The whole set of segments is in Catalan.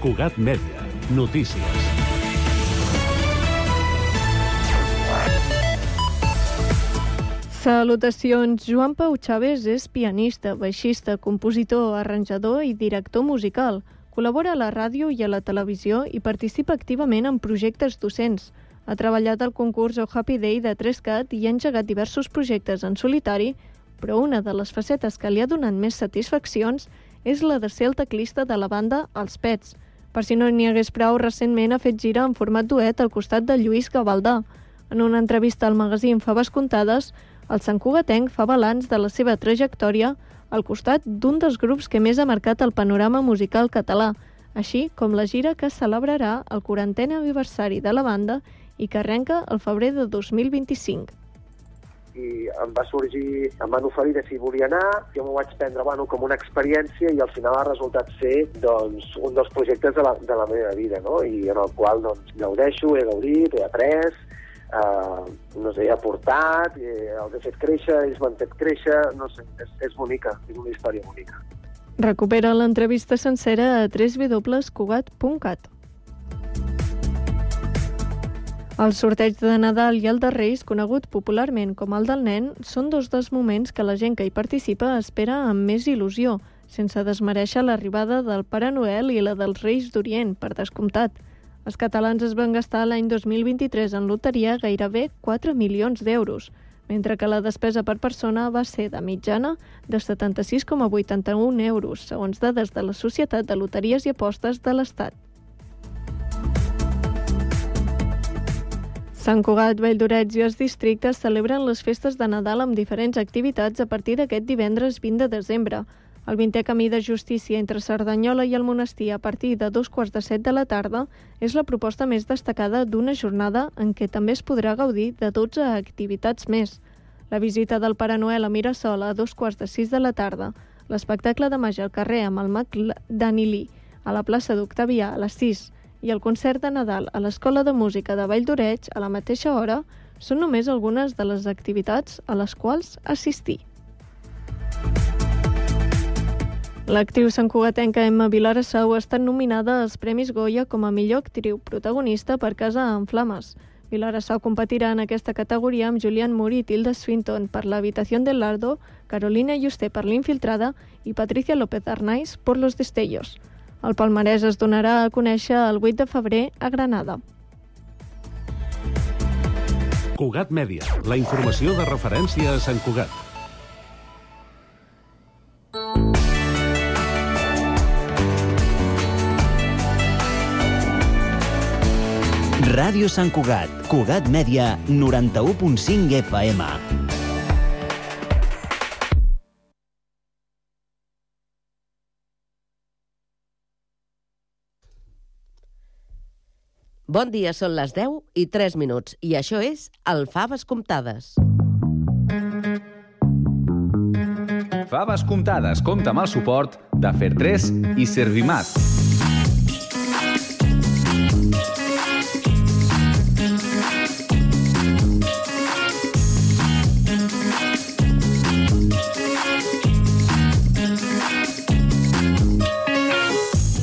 Cugat Mèdia. Notícies. Salutacions. Joan Pau Chávez és pianista, baixista, compositor, arranjador i director musical. Col·labora a la ràdio i a la televisió i participa activament en projectes docents. Ha treballat al concurs Oh Happy Day de 3CAT i ha engegat diversos projectes en solitari, però una de les facetes que li ha donat més satisfaccions és la de ser el teclista de la banda Els Pets. Per si no n'hi hagués prou, recentment ha fet gira en format duet al costat de Lluís Gavaldà. En una entrevista al magazín Faves Comptades, el santcugatenc fa balanç de la seva trajectòria al costat d'un dels grups que més ha marcat el panorama musical català, així com la gira que celebrarà el 40è aniversari de la banda i que arrenca el febrer de 2025. I em van oferir de si volia anar, jo m'ho vaig prendre com una experiència i al final ha resultat ser un dels projectes de la meva vida, no? I en el qual gaudeixo, he gaudit, he après, he aportat, els he fet créixer, ells m'han fet créixer, no sé, és bonica, és una història bonica. Recupera l'entrevista sencera a www.cugat.cat. El sorteig de Nadal i el de Reis, conegut popularment com el del nen, són dos dels moments que la gent que hi participa espera amb més il·lusió, sense desmereixer l'arribada del Pare Noel i la dels Reis d'Orient, per descomptat. Els catalans es van gastar l'any 2023 en loteria gairebé 4 milions d'euros, mentre que la despesa per persona va ser de mitjana de 76,81 euros, segons dades de la Societat de Loteries i Apostes de l'Estat. Sant Cugat, Valldoreix i els districtes celebren les festes de Nadal amb diferents activitats a partir d'aquest divendres 20 de desembre. El 20è Camí de Justícia entre Cerdanyola i el Monestir a partir de 7:15 de la tarda és la proposta més destacada d'una jornada en què també es podrà gaudir de 12 activitats més. La visita del Pare Noel a Mirasol a 5:15 de la tarda, l'espectacle de màgia al carrer amb el mag Danilí a la plaça d'Octavià a les 6 i el concert de Nadal a l'Escola de Música de Valldoreix a la mateixa hora són només algunes de les activitats a les quals assistir. L'actriu santcugatenca Emma Vilarasau ha estat nominada als Premis Goya com a millor actriu protagonista per Casa en Flames. Vilarasau competirà en aquesta categoria amb Julianne Moore i Tilda Swinton per La habitación del Lardo, Carolina Juste per L'Infiltrada i Patricia López Arnaiz por Los destellos. El palmarès es donarà a conèixer el 8 de febrer a Granada. Cugat Mèdia, la informació de referència a Sant Cugat. Ràdio Sant Cugat, Cugat Mèdia, 91.5 FM. Bon dia, són les 10:03 i això és el Faves Comptades. Faves Comptades compta amb el suport de Fer3 i Servimat.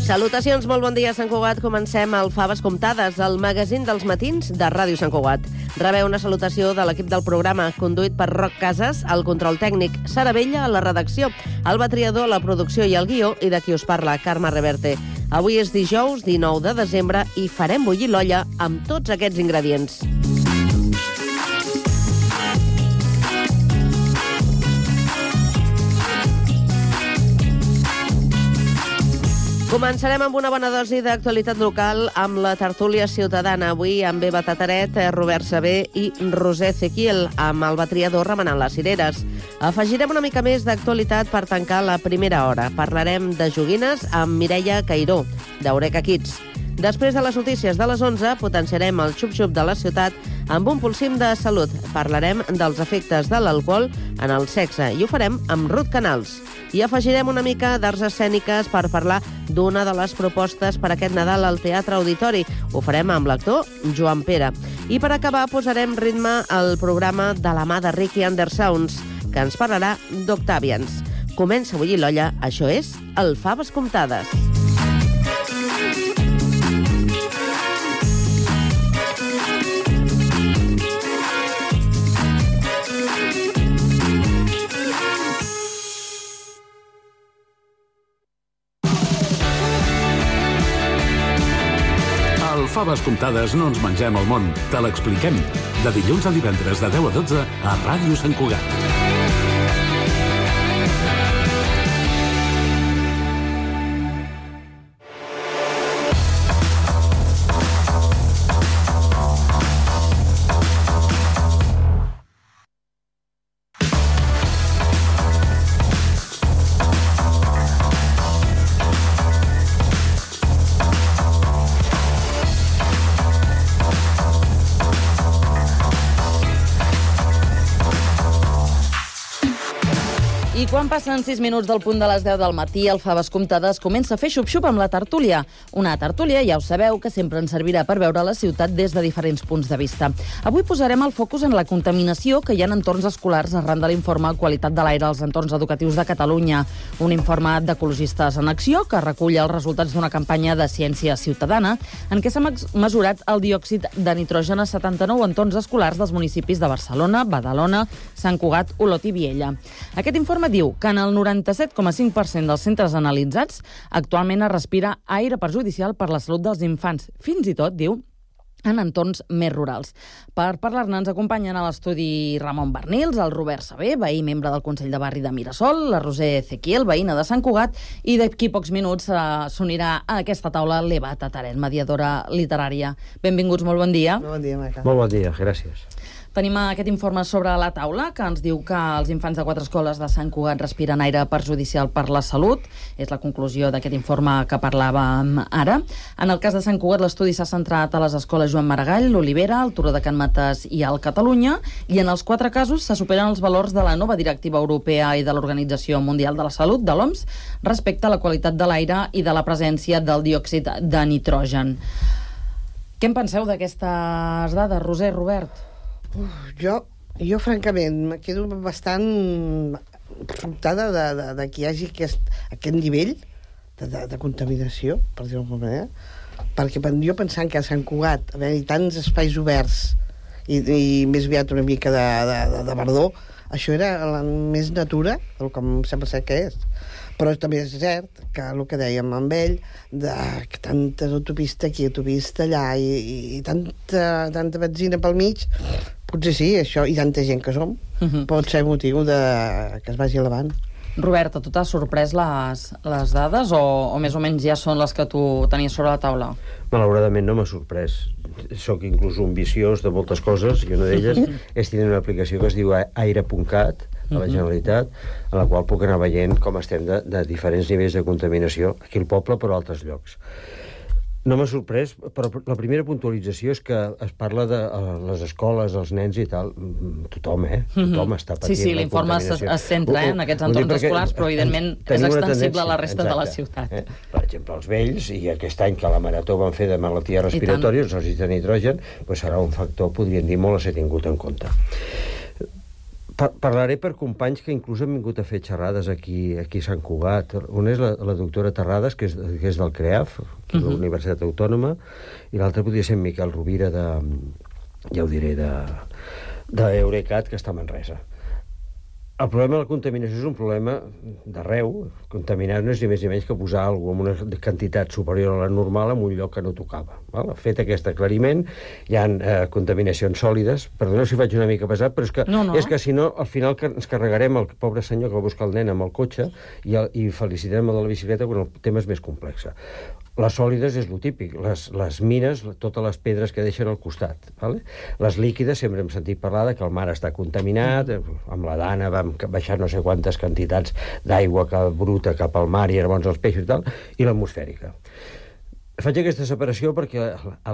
Salutacions, molt bon dia, Sant Cugat. Comencem el Faves Comptades, el magazín dels matins de Ràdio Sant Cugat. Rebeu una salutació de l'equip del programa, conduït per Roc Casas, el control tècnic, Sara Vella, a la redacció, Alba Triador, la producció i el guió, i de qui us parla, Carme Reverte. Avui és dijous, 19 de desembre, i farem bullir l'olla amb tots aquests ingredients. Començarem amb una bona dosi d'actualitat local amb la tertúlia ciutadana. Avui amb Eva Tataret, Robert Sabé i Roser Ezequiel, amb el Batriador remenant les cireres. Afegirem una mica més d'actualitat per tancar la primera hora. Parlarem de joguines amb Mireia Cairó, d'Eureka Kids. Després de les notícies de les 11, potenciarem el xup-xup de la ciutat amb un pulsim de salut. Parlarem dels efectes de l'alcohol en el sexe i ho farem amb Ruth Canals. I afegirem una mica d'arts escèniques per parlar d'una de les propostes per aquest Nadal al Teatre Auditori. Ho farem amb l'actor Joan Pere. I per acabar posarem ritme al programa de la mà de Ricky Undersounds, que ens parlarà d'Octavians. Comença a bullir l'olla, això és el Faves Comptades. faves comptades no ens mengem el món, te l'expliquem. De dilluns a divendres de 10 a 12 a Ràdio Sant Cugat. I quan passen 6 minuts del punt de les 10 del matí, el Faves Comptades comença a fer xup-xup amb la tertúlia. Una tertúlia, ja ho sabeu, que sempre ens servirà per veure la ciutat des de diferents punts de vista. Avui posarem el focus en la contaminació que hi ha en entorns escolars arran de l'informe Qualitat de l'aire als entorns educatius de Catalunya. Un informe d'Ecologistes en Acció que recull els resultats d'una campanya de ciència ciutadana en què s'ha mesurat el diòxid de nitrogen a 79 entorns escolars dels municipis de Barcelona, Badalona, Sant Cugat, Olot i Viella. Aquest informe diu que en el 97,5% dels centres analitzats actualment es respira aire perjudicial per la salut dels infants, fins i tot, diu, en entorns més rurals. Per parlar-ne ens acompanyen a l'estudi Ramon Bernils, el Robert Sabé, veí membre del Consell de Barri de Mirasol, la Roser Ezequiel, veïna de Sant Cugat, i d'aquí pocs minuts s'unirà a aquesta taula l'Eva Tataret, mediadora literària. Benvinguts, molt bon dia. Bon dia, Maca. Molt bon dia, gràcies. Tenim aquest informe sobre la taula que ens diu que els infants de 4 escoles de Sant Cugat respiren aire perjudicial per la salut. És la conclusió d'aquest informe que parlàvem ara. En el cas de Sant Cugat, l'estudi s'ha centrat a les escoles Joan Maragall, l'Olivera, el Turó de Can Mates i el Catalunya, i en els 4 casos se superen els valors de la nova directiva europea i de l'Organització Mundial de la Salut, de l'OMS, respecte a la qualitat de l'aire i de la presència del diòxid de nitrogen. Què en penseu d'aquestes dades, Roser, Robert? Jo, francament, me quedo bastant sobtada de que hi hagi aquest nivell de contaminació, per dir-ho d'alguna manera, perquè jo pensant que a Sant Cugat haver-hi tants espais oberts i més aviat una mica de verdor, això era la més natura, com sembla ser que és. Però també és cert que el que dèiem amb ell, que tanta autopista aquí, autopista allà, i tanta benzina pel mig, potser sí, això, i tanta gent que som, pot ser motiu que es vagi elevant. Robert, a tu t'ha sorprès les dades o més o menys ja són les que tu tenies sobre la taula? Malauradament no m'ha sorprès. Soc inclús un viciós de moltes coses i una d'elles és tenir una aplicació que es diu Aire.cat a la Generalitat, en la qual puc anar veient com estem de diferents nivells de contaminació aquí al poble però a altres llocs. No m'ha sorprès, però la primera puntualització és que es parla de les escoles, els nens i tal. Tothom, Tothom està patint sí, l'informe es centra en aquests entorns escolars, però evidentment és extensible a la resta de la ciutat. Per exemple, els vells, i aquest any que la Marató van fer de malalties respiratòries, el diòxid de nitrogen, serà un factor, podríem dir, molt a ser tingut en compte. Parlaré per companys que inclús han vingut a fer xerrades aquí a Sant Cugat. Una és la doctora Terrades, que és del CREAF, de la Universitat Autònoma, i l'altra podria ser en Miquel Rovira ja ho diré, d'Eurecat, que està a Manresa. El problema de la contaminació és un problema d'arreu. Contaminar no és ni més ni menys que posar alguna cosa amb una quantitat superior a la normal en un lloc que no tocava. Fet aquest aclariment, hi ha contaminacions sòlides. Perdoneu si faig una mica pesat, però és que si no, al final ens carregarem el pobre senyor que va buscar el nen amb el cotxe i felicitarem el de la bicicleta quan el tema és més complex. Les sòlides és lo típic, les mines, totes les pedres que deixen al costat. Les líquides, sempre hem sentit parlar que el mar està contaminat, amb la Dana vam baixar no sé quantes quantitats d'aigua bruta cap al mar i llavors els peixos i tal, i l'atmosfèrica. Faig aquesta separació perquè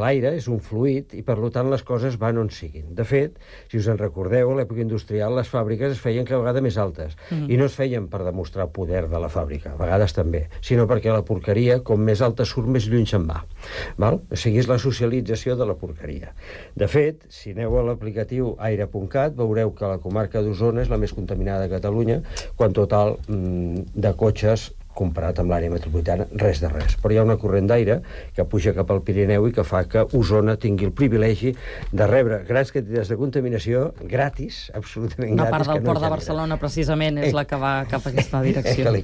l'aire és un fluid i, per tant, les coses van on siguin. De fet, si us en recordeu, a l'època industrial les fàbriques es feien cada vegada més altes i no es feien per demostrar poder de la fàbrica, a vegades també, sinó perquè la porqueria, com més alta surt, més lluny se'n va. O sigui, és la socialització de la porqueria. De fet, si aneu a l'aplicatiu Aire.cat, veureu que la comarca d'Osona és la més contaminada de Catalunya, quan total de cotxes comparat amb l'àrea metropolitana, res de res. Però hi ha una corrent d'aire que puja cap al Pirineu i que fa que Osona tingui el privilegi de rebre grans quantitats de contaminació gratis, absolutament gratis. Una part del port de Barcelona, precisament, és la que va cap a aquesta direcció.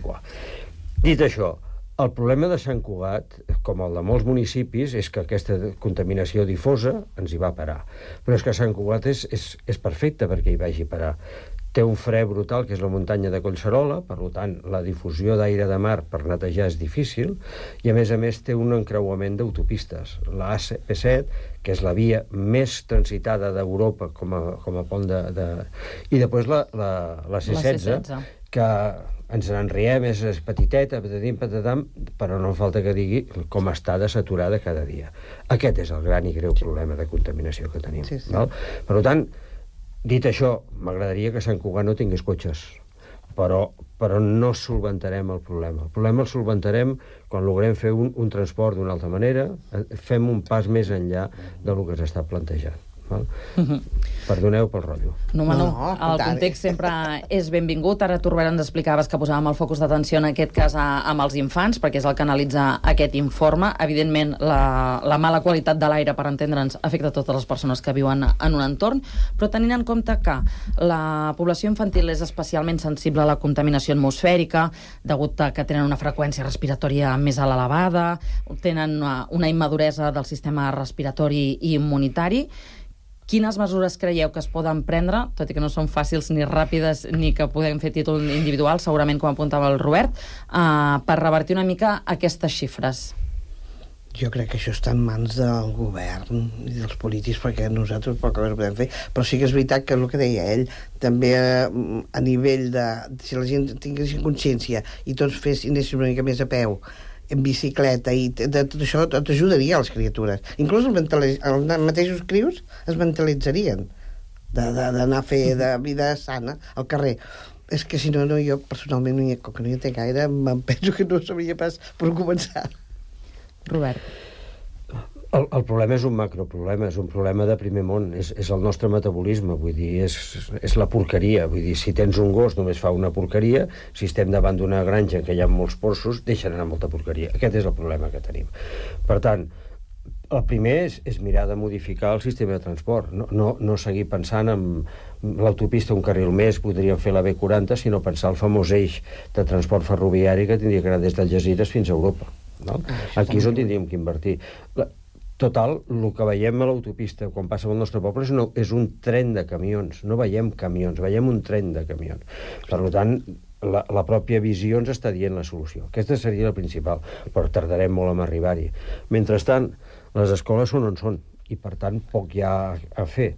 Dit això, El problema de Sant Cugat, com el de molts municipis, és que aquesta contaminació difosa ens hi va parar. Però és que Sant Cugat és perfecte perquè hi vagi parar. Té un fre brutal, que és la muntanya de Collserola, per tant, la difusió d'aire de mar per netejar és difícil, i a més té un encreuament d'autopistes. La AP7, que és la via més transitada d'Europa com a pont I després la C16, que ens n'enriem, és petiteta, patatam, però no falta que digui com està de saturada cada dia. Aquest és el gran i greu problema de contaminació que tenim. Sí. Val? Per tant, dit això, m'agradaria que Sant Cugat no tingués cotxes, però no solventarem el problema. El problema el solventarem quan logrem fer un transport d'una altra manera, fem un pas més enllà del que s'està plantejant. Perdoneu pel rotllo. No, el context sempre és benvingut. Ara tu, Robert, ens explicaves que posàvem el focus d'atenció en aquest cas amb els infants, perquè és el que analitza aquest informe. Evidentment, la mala qualitat de l'aire, per entendre'ns, afecta totes les persones que viuen en un entorn, però tenint en compte que la població infantil és especialment sensible a la contaminació atmosfèrica, degut a que tenen una freqüència respiratòria més elevada, tenen una immaduresa del sistema respiratori i immunitari. Quines mesures creieu que es poden prendre, tot i que no són fàcils ni ràpides ni que podem fer títol individual, segurament com apuntava el Robert, per revertir una mica aquestes xifres? Jo crec que això està en mans del govern i dels polítics, perquè nosaltres poca cosa podem fer, però sí que és veritat que el que deia ell, també a nivell de... si la gent tingués consciència i tots anéssim una mica més a peu, en bicicleta, i de tot això tot ajudaria a les criatures. Inclús els mateixos crios es mentalitzarien d'anar a fer de vida sana al carrer. És que si no, jo personalment, com que no hi entenc gaire, em penso que no sabria pas per començar. Robert. El problema és un macroproblema, és un problema de primer món, és el nostre metabolisme, vull dir, és la porqueria, vull dir, si tens un gos només fa una porqueria, si estem davant d'una granja en què hi ha molts porxos, deixen anar molta porqueria. Aquest és el problema que tenim. Per tant, el primer és mirar de modificar el sistema de transport, no seguir pensant en l'autopista un carril més, podríem fer la B40, sinó pensar el famós eix de transport ferroviari que tindria que anar des d'Algesires fins a Europa. No? Aquí és on tindríem que invertir. Total, el que veiem a l'autopista quan passa pel nostre poble és un tren de camions. No veiem camions, veiem un tren de camions. Per tant, la pròpia visió ens està dient la solució. Aquesta seria la principal, però tardarem molt en arribar-hi. Mentrestant, les escoles són on són, i per tant poc hi ha a fer.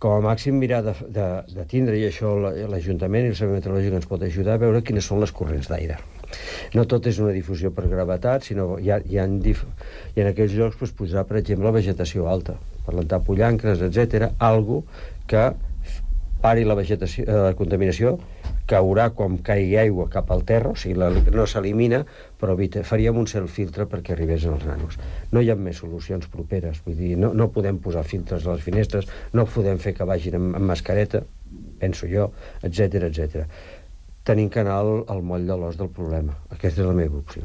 Com a màxim mirar de tindre, i això l'Ajuntament i el Servei Meteorològic ens pot ajudar a veure quines són les corrents d'aire. No tot és una difusió per gravetat, sinó i en aquells llocs es posarà, per exemple, la vegetació alta, plantar pollancres, etc. Algo que pari la vegetació, la contaminació, caurà quan caigui aigua cap al terra, o sigui, no s'elimina, però faríem un cert filtre perquè arribés als nanos. No hi ha més solucions properes, vull dir, no podem posar filtres a les finestres, no podem fer que vagin amb mascareta, penso jo, etc. Tenim que anar al moll de l'os del problema. Aquesta és la meva opció.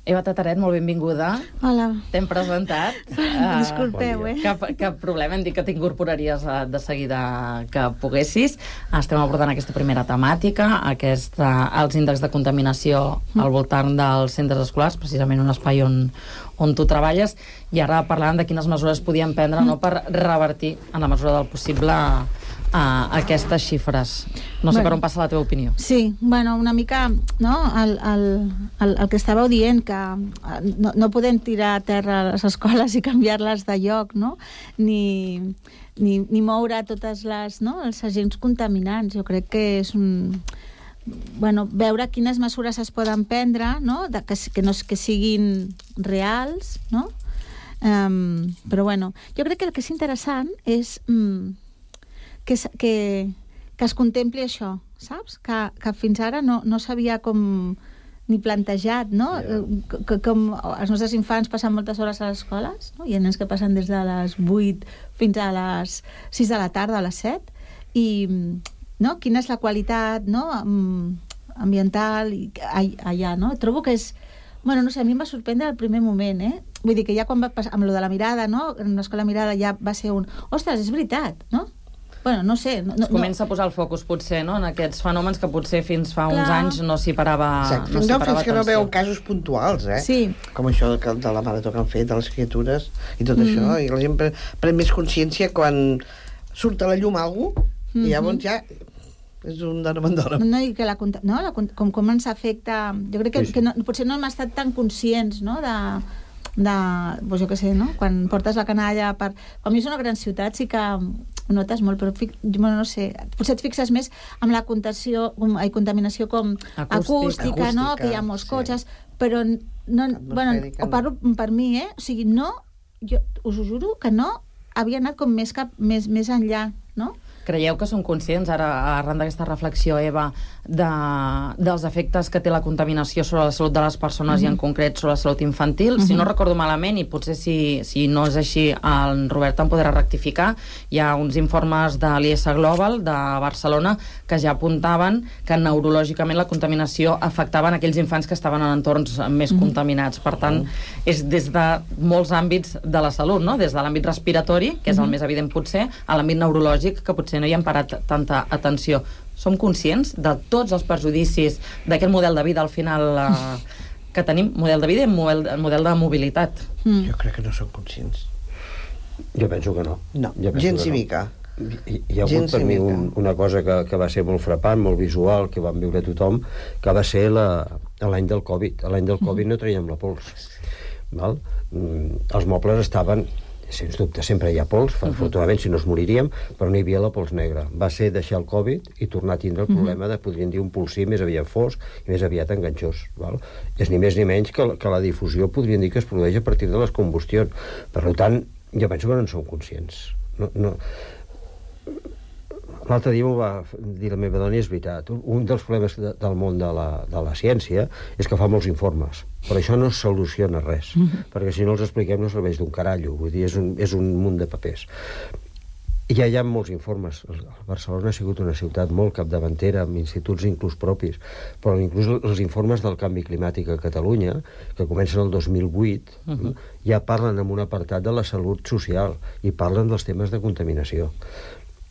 Eva Tataret, molt benvinguda. Hola. T'hem presentat. Disculpeu, Cap problema, hem dit que t'incorporaries de seguida que poguessis. Estem abordant aquesta primera temàtica, els índexs de contaminació al voltant dels centres escolars, precisament un espai on tu treballes, i ara parlàvem de quines mesures podien prendre per revertir, en la mesura del possible, aquestes xifres. No sé per on passa la teva opinió. Sí, una mica, no? El que estàveu dient, que no podem tirar a terra les escoles i canviar-les de lloc, no? Ni moure totes els agents contaminants. Jo crec que és veure quines mesures es poden prendre, no? Que siguin reals, no? Però jo crec que el que és interessant és que es contempli això, saps? Que fins ara no s'havia com ni plantejat, no? Que com els nostres infants passen moltes hores a les escoles, no? Hi ha nens que passen des de les 8 fins a les 6 de la tarda, a les 7, i quina és la qualitat ambiental allà, no? Trobo que és... no sé, a mi em va sorprendre al primer moment, Vull dir que ja quan va passar amb lo de la mirada, no? En l'escola mirada ja va ser ostres, és veritat, no? Bueno, no sé... Es comença a posar el focus, potser, no?, en aquests fenòmens que potser fins fa uns anys no s'hi parava atenció. Fins que no veuen casos puntuals, Sí. Com això de la marató que han fet, de les criatures, i tot això, i la gent pren més consciència quan surt a la llum algú, i llavors ja és un dòram. No, i que com ens afecta... Jo crec que potser no hem estat tan conscients, no?, pues jo què sé, no? Quan portes la canalla per... Quan vius una gran ciutat sí que ho notes molt, però no sé, potser et fixes més amb la contaminació com acústica, no? Que hi ha molts cotxes, però no, bueno, o parlo per mi, o sigui, no, jo us ho juro que no havia anat com més enllà, no? Creieu que són conscients, ara, arran d'aquesta reflexió, Eva, dels efectes que té la contaminació sobre la salut de les persones i en concret sobre la salut infantil? Si no recordo malament, i potser si no és així, el Robert em podrà rectificar, hi ha uns informes de l'IS Global de Barcelona que ja apuntaven que neurològicament la contaminació afectava aquells infants que estaven en entorns més contaminats. Per tant, és des de molts àmbits de la salut, no? Des de l'àmbit respiratori, que és el més evident potser, a l'àmbit neurològic, que potser no hi hem parat tanta atenció. Som conscients de tots els perjudicis d'aquest model de vida al final que tenim, model de vida i model de mobilitat? Jo crec que no som conscients. Jo penso que no. No, gens i mica. Hi ha hagut per mi una cosa que va ser molt frapant, molt visual, que vam viure tothom, que va ser l'any del Covid. L'any del Covid no traiem la pols. Val? Els mobles estaven... Sens dubte, sempre hi ha pols, afortunadament si no es moriríem, però no hi havia la pols negra. Va ser deixar el Covid i tornar a tindre el problema de, podríem dir, un pulsí més aviat fosc i més aviat enganxós. Val? És ni més ni menys que la difusió, podríem dir, que es produeix a partir de les combustions. Per tant, jo penso que no en som conscients. L'altre dia m'ho va dir la meva dona i és veritat. Un dels problemes del món de la ciència és que fa molts informes, però això no soluciona res, perquè si no els expliquem no serveix d'un carallo, vull dir, és un munt de papers. Ja hi ha molts informes. Barcelona ha sigut una ciutat molt capdavantera, amb instituts inclús propis, però inclús els informes del canvi climàtic a Catalunya, que comencen el 2008, ja parlen en un apartat de la salut social i parlen dels temes de contaminació.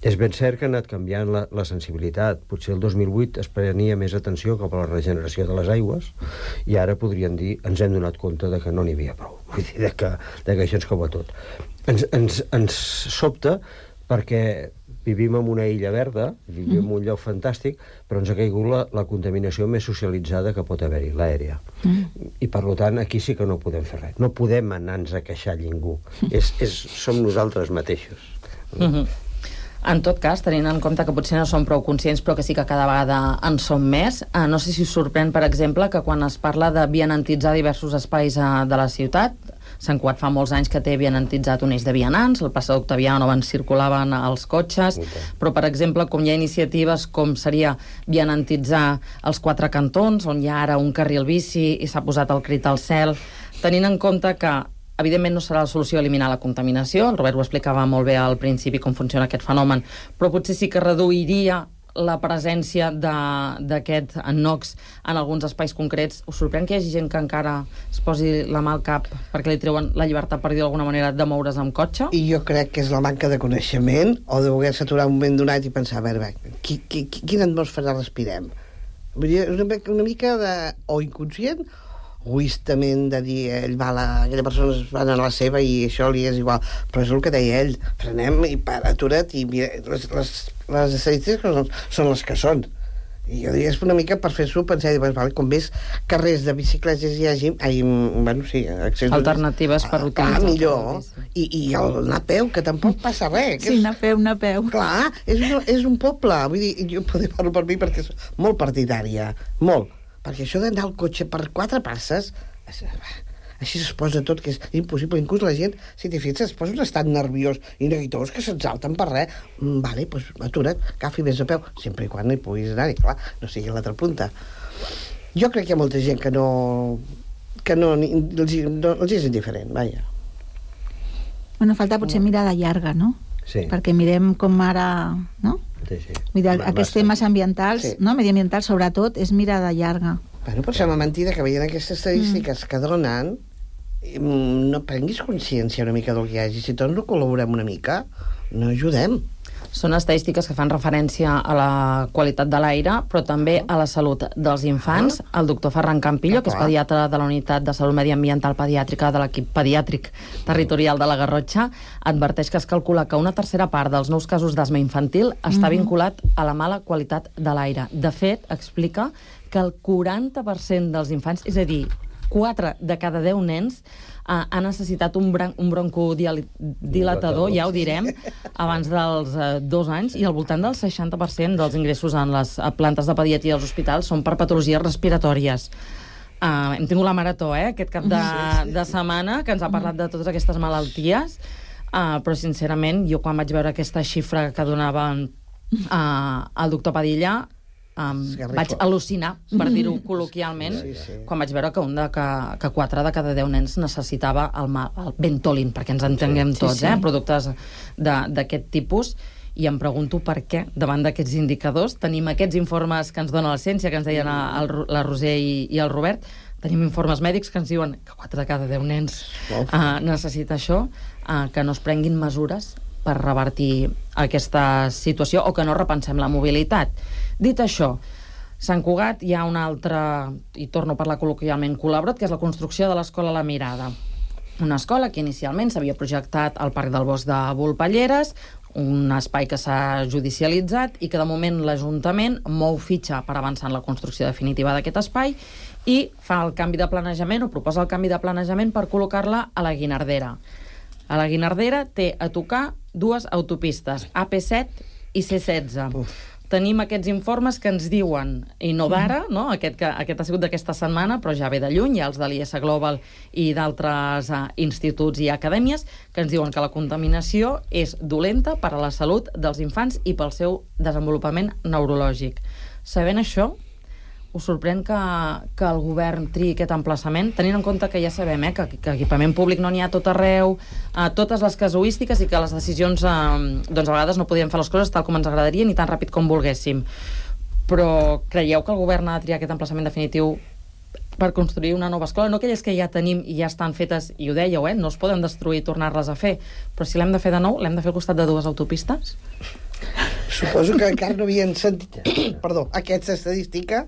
És ben cert que ha anat canviant la sensibilitat. Potser el 2008 es prenia més atenció cap a la regeneració de les aigües i ara podríem dir, ens hem donat compte de que no n'hi havia prou. Vull dir, que això ens cau a tot. Ens sobta perquè vivim en una illa verda, vivim en un lloc fantàstic, però ens ha caigut la contaminació més socialitzada que pot haver-hi, l'aèria. I per tant, aquí sí que no podem fer res. No podem anar-nos a queixar ningú. Som nosaltres mateixos. En tot cas, tenint en compte que potser no som prou conscients, però que sí que cada vegada en som més, no sé si us sorprèn, per exemple, que quan es parla de vianantitzar diversos espais de la ciutat, Sant Cugat fa molts anys que té vianantitzat un eix de vianants, el passat Octaviano on circulaven els cotxes, però, per exemple, com hi ha iniciatives com seria vianantitzar els 4 cantons, on hi ha ara un carril bici i s'ha posat el crit al cel, tenint en compte que evidentment no serà la solució eliminar la contaminació, el Robert ho explicava molt bé al principi com funciona aquest fenomen, però potser sí que reduiria la presència d'aquest NOx en alguns espais concrets. Us sorprèn que hi hagi gent que encara es posi la mà al cap perquè li treuen la llibertat, per dir d'alguna manera, de moure's amb cotxe? I jo crec que és la manca de coneixement o de voler-se aturar un moment donat i pensar, a veure, quina atmosfera respirem? Vull dir, una mica o inconscient egoistament de dir aquella persona va a la seva i això li és igual, però és el que deia ell, frenem i atura't i mira, les estadístiques són les que són i jo diria és una mica per fer-s'ho pensar i dir, vale, com més carrers de bicicletes hi hagi alternatives per utilitzar millor i anar a peu, que tampoc passa res anar a peu clar, és un poble vull dir, jo parlo per mi perquè és molt partidària, molt perquè això d'anar al cotxe per 4 passes així es posa tot, que és impossible. Inclús la gent, si t'hi fixes, es posa un estat nerviós i neguitós que s'exalten per res. Vale, doncs atura't, agafi més a peu, sempre i quan no hi puguis anar-hi, clar, no sigui a l'altra punta. Jo crec que hi ha molta gent que els és indiferent, vaja. Bueno, falta potser mirada llarga, no? Sí. Perquè mirem com ara, no? Sí. Vull dir, aquests temes ambientals, no? Mediambientals, sobretot, és mirada llarga. Bueno, però sembla mentida que veient aquestes estadístiques que donen no prenguis consciència una mica del que hi hagi. Si tots no col·laborem una mica, no ajudem. Són estadístiques que fan referència a la qualitat de l'aire, però també a la salut dels infants. El doctor Ferran Campillo, que és pediatre de la Unitat de Salut Mediambiental Pediàtrica de l'equip pediàtric territorial de la Garrotxa, adverteix que es calcula que una tercera part dels nous casos d'asma infantil està vinculat a la mala qualitat de l'aire. De fet, explica que el 40% dels infants, és a dir, 4 de cada 10 nens, ha necessitat un broncodilatador, ja ho direm, abans dels 2 anys, i al voltant del 60% dels ingressos en les plantes de pediatria dels hospitals són per patologies respiratòries. Hem tingut la marató, aquest cap de setmana, que ens ha parlat de totes aquestes malalties, però sincerament, jo quan vaig veure aquesta xifra que donava el doctor Padilla, vaig al·lucinar, per dir-ho col·loquialment, quan vaig veure que 4 de cada 10 nens necessitava el Ventolin, perquè ens entenguem tots, productes d'aquest tipus, i em pregunto per què, davant d'aquests indicadors, tenim aquests informes que ens dona la ciència, que ens deien la Roser i el Robert, tenim informes mèdics que ens diuen que 4 de cada 10 nens necessita això, que no es prenguin mesures per revertir aquesta situació o que no repensem la mobilitat. Dit això, Sant Cugat hi ha un altre, i torno a parlar col·loquialment, col·laborat, que és la construcció de l'Escola La Mirada. Una escola que inicialment s'havia projectat al Parc del Bosc de Volpelleres, un espai que s'ha judicialitzat i que de moment l'Ajuntament mou fitxa per avançar en la construcció definitiva d'aquest espai i fa el canvi de planejament o proposa el canvi de planejament per col·locar-la a la Guinardera. A la Guinardera té a tocar 2 autopistes, AP7 i C16. Tenim aquests informes que ens diuen, i no d'ara, no? Aquest ha sigut d'aquesta setmana, però ja ve de lluny, hi ha els de l'IS Global i d'altres instituts i acadèmies, que ens diuen que la contaminació és dolenta per a la salut dels infants i pel seu desenvolupament neurològic. Sabent això, us sorprèn que el govern triï aquest emplaçament, tenint en compte que ja sabem que equipament públic no n'hi ha tot arreu, totes les casuístiques i que les decisions a vegades no podíem fer les coses tal com ens agradaria ni tan ràpid com volguéssim. Però creieu que el govern ha de triar aquest emplaçament definitiu per construir una nova escola? No aquelles que ja tenim i ja estan fetes, i ho dèieu, no es poden destruir i tornar-les a fer, però si l'hem de fer de nou, l'hem de fer al costat de 2 autopistes? Suposo que encara no havien sentit aquesta estadística.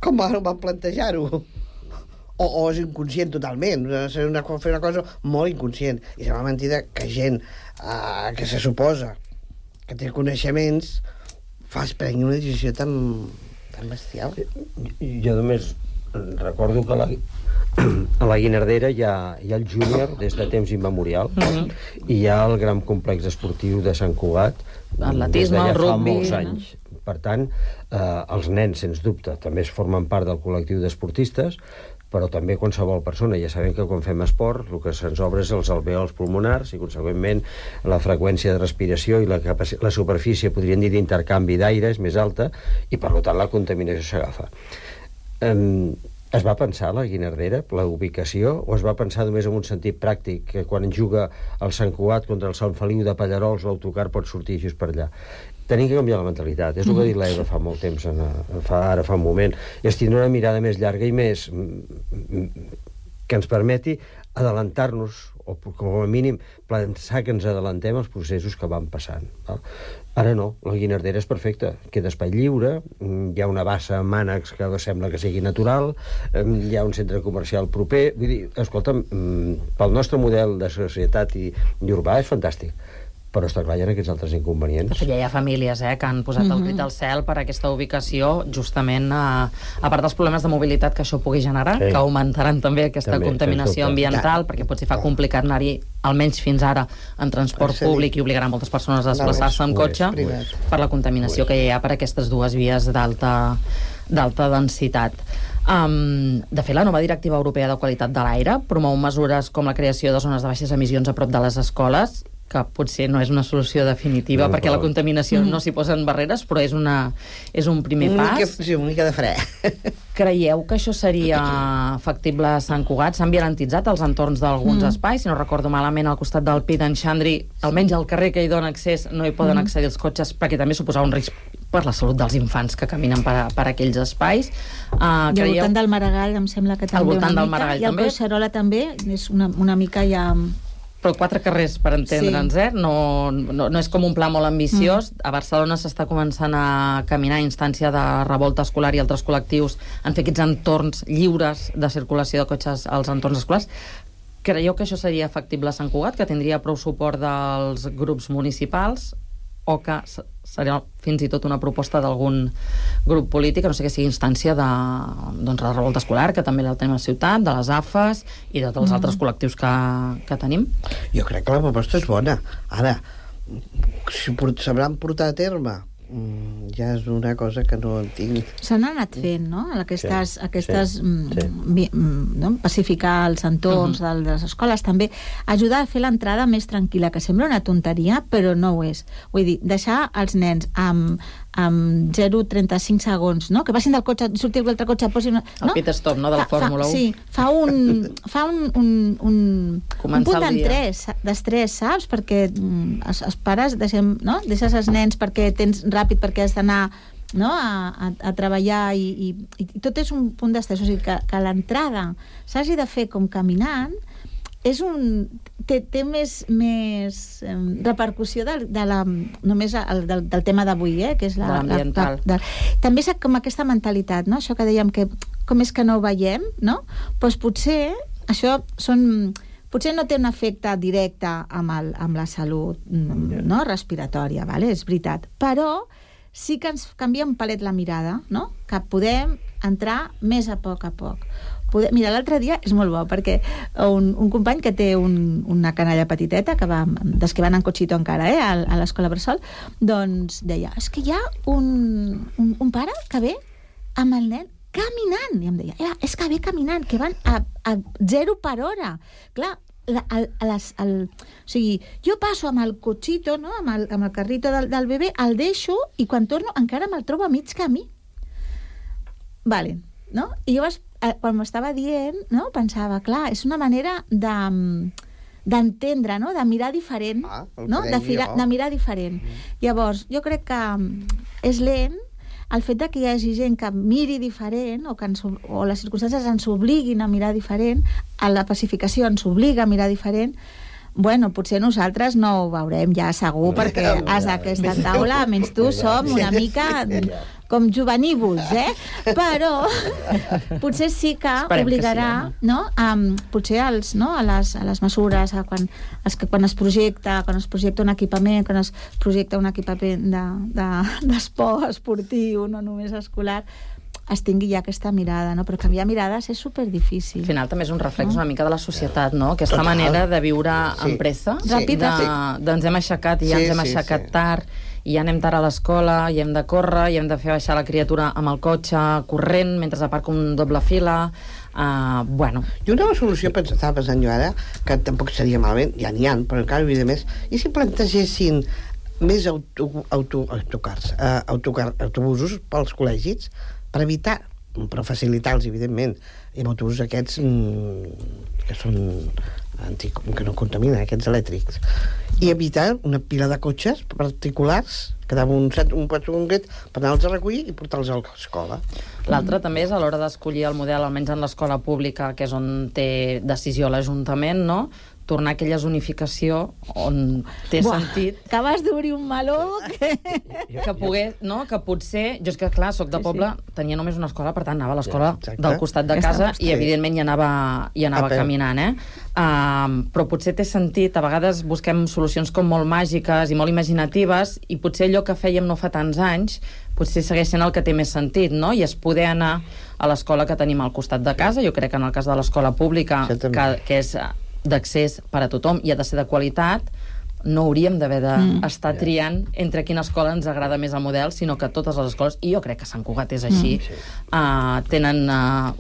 Com van plantejar-ho? O és inconscient totalment, fer una cosa molt inconscient. I sembla mentida que gent que se suposa que té coneixements prengui una decisió tan bestial. Jo només recordo que a la Guinardera hi ha el júnior des de temps immemorial i hi ha el gran complex esportiu de Sant Cugat des de ja fa molts anys. Per tant, els nens, sens dubte, també es formen part del col·lectiu d'esportistes, però també qualsevol persona. Ja sabem que quan fem esport el que se'ns obre és els alvèols pulmonars i, conseqüentment, la freqüència de respiració i la superfície, podríem dir, d'intercanvi d'aire és més alta i, per tant, la contaminació s'agafa. Es va pensar la Guinardera, la ubicació, o es va pensar només en un sentit pràctic, que quan juga el Sant Cugat contra el Sant Feliu de Pallarols l'autocar pot sortir just per allà? Tenim que canviar la mentalitat. És el que ha dit l'Eva fa molt temps, ara fa un moment. I es tindrà una mirada més llarga i més que ens permeti adelantar-nos, o com a mínim pensar que ens adelantem als processos que van passant. Ara no, la Guinardera és perfecta, queda espai lliure, hi ha una bassa amb mànecs que sembla que sigui natural, hi ha un centre comercial proper, vull dir, escolta'm, pel nostre model de societat i urbà és fantàstic. Però està clar, hi ha aquests altres inconvenients. De fet, ja hi ha famílies que han posat el crit al cel per aquesta ubicació, justament a part dels problemes de mobilitat que això pugui generar, que augmentaran també aquesta contaminació ambiental, perquè potser fa complicat anar-hi, almenys fins ara, en transport públic i obligarà moltes persones a desplaçar-se amb cotxe per la contaminació que hi ha per aquestes 2 vies d'alta densitat. De fet, la nova Directiva Europea de Qualitat de l'Aire promou mesures com la creació de zones de baixes emissions a prop de les escoles, que potser no és una solució definitiva perquè la contaminació no s'hi posen barreres, però és un primer pas. Sí, una mica de fre. Creieu que això seria factible a Sant Cugat? S'han violentitzat els entorns d'alguns espais, si no recordo malament, al costat del Pi d'en Xandri, almenys al carrer que hi dona accés no hi poden accedir els cotxes, perquè també suposava un risc per la salut dels infants que caminen per aquells espais. I al voltant del Maragall em sembla que també una mica, i el Collserola també és una mica ja... però 4 carrers, per entendre'ns, no és com un pla molt ambiciós. A Barcelona s'està començant a caminar a instància de Revolta Escolar i altres col·lectius en fer aquests entorns lliures de circulació de cotxes als entorns escolars. Creieu que això seria factible a Sant Cugat, que tindria prou suport dels grups municipals, o que seria fins i tot una proposta d'algun grup polític, no sé, que sigui instància de la Revolta Escolar, que també la tenim a la ciutat, de les AFES i de tots els altres col·lectius que tenim? Jo crec que la proposta és bona. Ara, si s'hauran portat a terme, ja és una cosa que no tinc. S'han anat fent, no? Aquestes no? Pacificar els entorns de les escoles, també ajudar a fer l'entrada més tranquil·la, que sembla una tonteria, però no ho és. Vull dir, deixar els nens amb 0,35 segons, no? Que passin del cotxe, sortir l'altre cotxe, posin... El pit stop, no?, de la Fórmula 1. Sí, fa un punt d'estrès, saps? Perquè els pares deixes els nens perquè tens ràpid, perquè has d'anar a treballar i tot és un punt d'estrès. O sigui, que l'entrada s'hagi de fer com caminant té més repercussió només del tema d'avui, que és l'ambiental. També és com aquesta mentalitat, no? Això que dèiem, que com és que no ho veiem, no? Doncs potser això potser no té un efecte directe amb la salut respiratòria, és veritat, però sí que ens canvia un palet la mirada, no? Que podem entrar més a poc. Mira, l'altre dia és molt bo, perquè un company que té una canalla petiteta, des que van en cotxito encara, a l'escola Bressol, doncs deia, és que hi ha un pare que ve amb el nen caminant, i em deia, és que ve caminant, que van a 0 per hora. Clar, o sigui, jo passo amb el cotxito, no? amb el carrito del bebè, el deixo, i quan torno encara me'l trobo a mig camí. Vale, no? I jo quan m'estava dient, no? Pensava, clar, és una manera d'entendre, no? De mirar diferent, no? De mirar diferent. Llavors, jo crec que és lent el fet que hi hagi gent que miri diferent o les circumstàncies ens obliguin a mirar diferent, a la pacificació ens obliga a mirar diferent. Bueno, potser nosaltres no ho veurem ja segur, perquè als d'aquesta taula, menys tu, som una mica com juvenívols, però potser sí que obligarà, no? Potser a les mesures, quan es projecta un equipament, quan es projecta un equipament d'esport esportiu, no només escolar, es tingui ja aquesta mirada, no? Però canviar mirades és superdifícil. Al final també és un reflex una mica de la societat, no? Aquesta manera de viure amb pressa, ens hem aixecat i ja ens hem aixecat tard, i ja anem tard a l'escola, i hem de córrer, i hem de fer baixar la criatura amb el cotxe, corrent, mentre aparca un doble fila. I una solució, estava pensant jo ara, que tampoc seria malament, ja n'hi ha, però encara hi havia més, i si plantegessin més autobusos pels col·legis, per evitar, per facilitar-los, evidentment, i amb autobusos aquests que són que no contaminen, aquests elèctrics, i evitar una pila de cotxes particulars, quedava un concret per anar-los a recollir i portar-los a l'escola. L'altre també és a l'hora d'escollir el model, almenys en l'escola pública, que és on té decisió l'Ajuntament, no? Tornar a aquella zonificació on té sentit... Acabes d'obrir un meló... Que potser... Jo és que, clar, soc de poble, tenia només una escola, per tant, anava a l'escola del costat de casa i, evidentment, hi anava caminant, però potser té sentit, a vegades busquem solucions com molt màgiques i molt imaginatives, i potser allò que fèiem no fa tants anys potser segueix sent el que té més sentit, no? I és poder anar a l'escola que tenim al costat de casa. Jo crec que en el cas de l'escola pública, que és d'accés per a tothom i ha de ser de qualitat, no hauríem d'haver d'estar triant entre quina escola ens agrada més el model, sinó que totes les escoles, i jo crec que Sant Cugat és així, tenen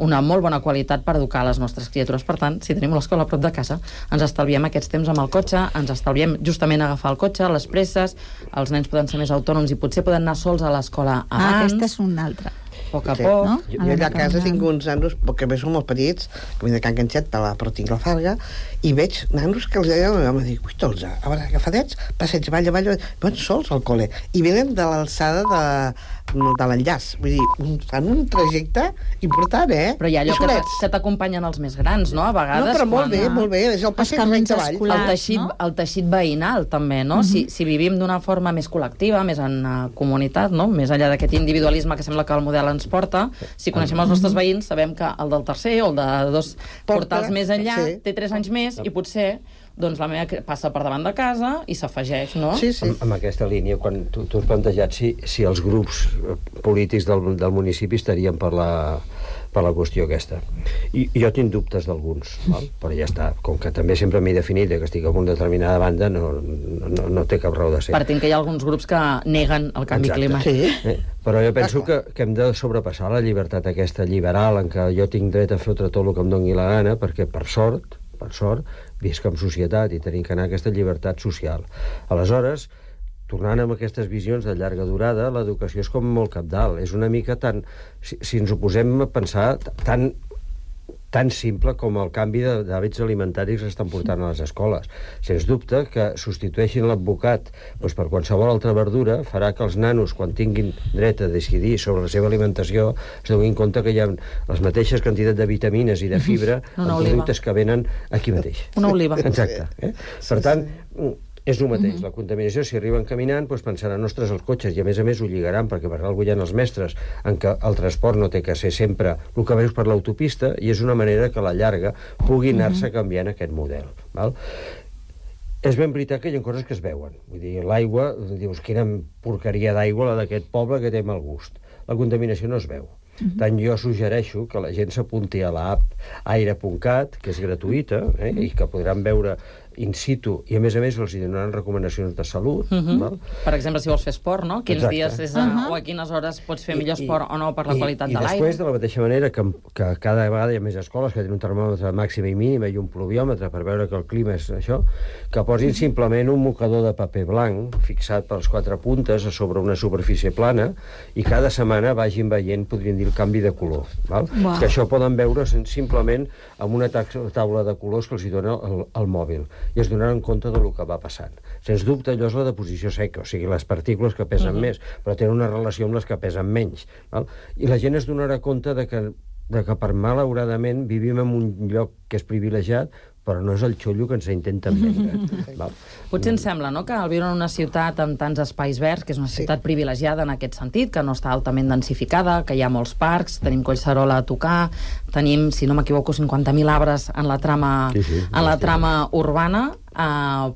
una molt bona qualitat per educar les nostres criatures. Per tant, si tenim l'escola a prop de casa, ens estalviem aquests temps amb el cotxe, ens estalviem justament agafar el cotxe, les presses, els nens poden ser més autònoms i potser poden anar sols a l'escola abans. Aquesta és una altra. A poc a poc. No? Jo allà a casa tinc uns nanos, que bé són molt petits, que venen de Can Canxet, però tinc la Farga, i veig nanos que els deien, em dic, ui, tots, a veure, agafadets, passeig, balla, van sols al col·le, i venen de l'alçada de l'enllaç. Vull dir, fan un trajecte important, Però hi ha allò que t'acompanyen els més grans, no? A vegades... No, però molt bé, és el passeig recte avall. El teixit veïnal, també, no? Si vivim d'una forma més col·lectiva, més en comunitat, no? Més enllà d'aquest individualisme que sembla que el model ens porta, si coneixem els nostres veïns, sabem que el del tercer o el de 2 portals més enllà té 3 anys més i potser doncs la meva passa per davant de casa i s'afegeix, no? Sí. Amb aquesta línia, quan tu has plantejat si els grups polítics del municipi estarien per la qüestió aquesta. I jo tinc dubtes d'alguns, però ja està. Com que també sempre m'he definit que estic en una determinada banda, no té cap raó de ser. Partint que hi ha alguns grups que neguen el canvi climàtic. Però jo penso que hem de sobrepassar la llibertat aquesta liberal en què jo tinc dret a fotre tot el que em doni la gana, perquè per sort, visc en societat i tenim que anar a aquesta llibertat social. Aleshores, tornant amb aquestes visions de llarga durada, l'educació és com molt cabdal. És una mica tan... Si ens ho posem a pensar, tan simple com el canvi d'hàbits alimentaris que estan portant a les escoles. Sens dubte que substitueixin l'advocat per qualsevol altra verdura farà que els nanos, quan tinguin dret a decidir sobre la seva alimentació, es donin compte que hi ha les mateixes quantitats de vitamines i de fibra en productes que venen aquí mateix. Una oliva. Exacte. Per tant, és el mateix. La contaminació, si arriben caminant, pensaran, ostres, els cotxes, i a més ho lligaran, perquè per alguna cosa hi ha els mestres en què el transport no té que ser sempre el que veus per l'autopista, i és una manera que a la llarga pugui anar-se canviant aquest model. És ben veritat que hi ha coses que es veuen. Vull dir, l'aigua, dius, quina porqueria d'aigua la d'aquest poble que té mal gust. La contaminació no es veu. Tant jo suggereixo que la gent s'apunti a l'app aire.cat, que és gratuïta, i que podran veure in situ, i a més els donaran recomanacions de salut. Per exemple, si vols fer esport, no? Quins dies o a quines hores pots fer millor esport o no per la qualitat de l'aire. I després, de la mateixa manera que cada vegada hi ha més escoles que tenen un termòmetre màxima i mínima i un pluviòmetre per veure que el clima és això, que posin simplement un mocador de paper blanc fixat per les 4 puntes sobre una superfície plana i cada setmana vagin veient, podríem dir, el canvi de color. Que això poden veure simplement amb una taula de colors que els dona el mòbil, i es donaran compte del que va passant. Sens dubte, allò és la deposició seca, o sigui, les partícules que pesen més, però tenen una relació amb les que pesen menys. I la gent es donarà compte de que per malauradament vivim en un lloc que és privilegiat, però no és el xollo que ens intenten vendre. Potser ens sembla, no?, que al viure en una ciutat amb tants espais verds, que és una ciutat privilegiada en aquest sentit, que no està altament densificada, que hi ha molts parcs, tenim Collserola a tocar, tenim, si no m'equivoco, 50.000 arbres en la trama urbana,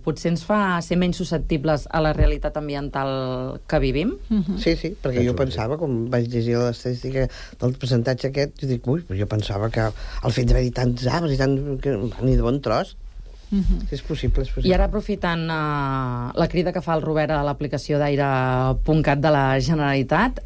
potser ens fa ser menys susceptibles a la realitat ambiental que vivim? Sí, perquè jo pensava, com vaig llegir l'estadística del percentatge aquest, jo dic, jo pensava que el fet d'haver-hi tants arbres i tant... ni de bon tros. És possible. I ara, aprofitant la crida que fa el Robert a l'aplicació d'aire.cat de la Generalitat,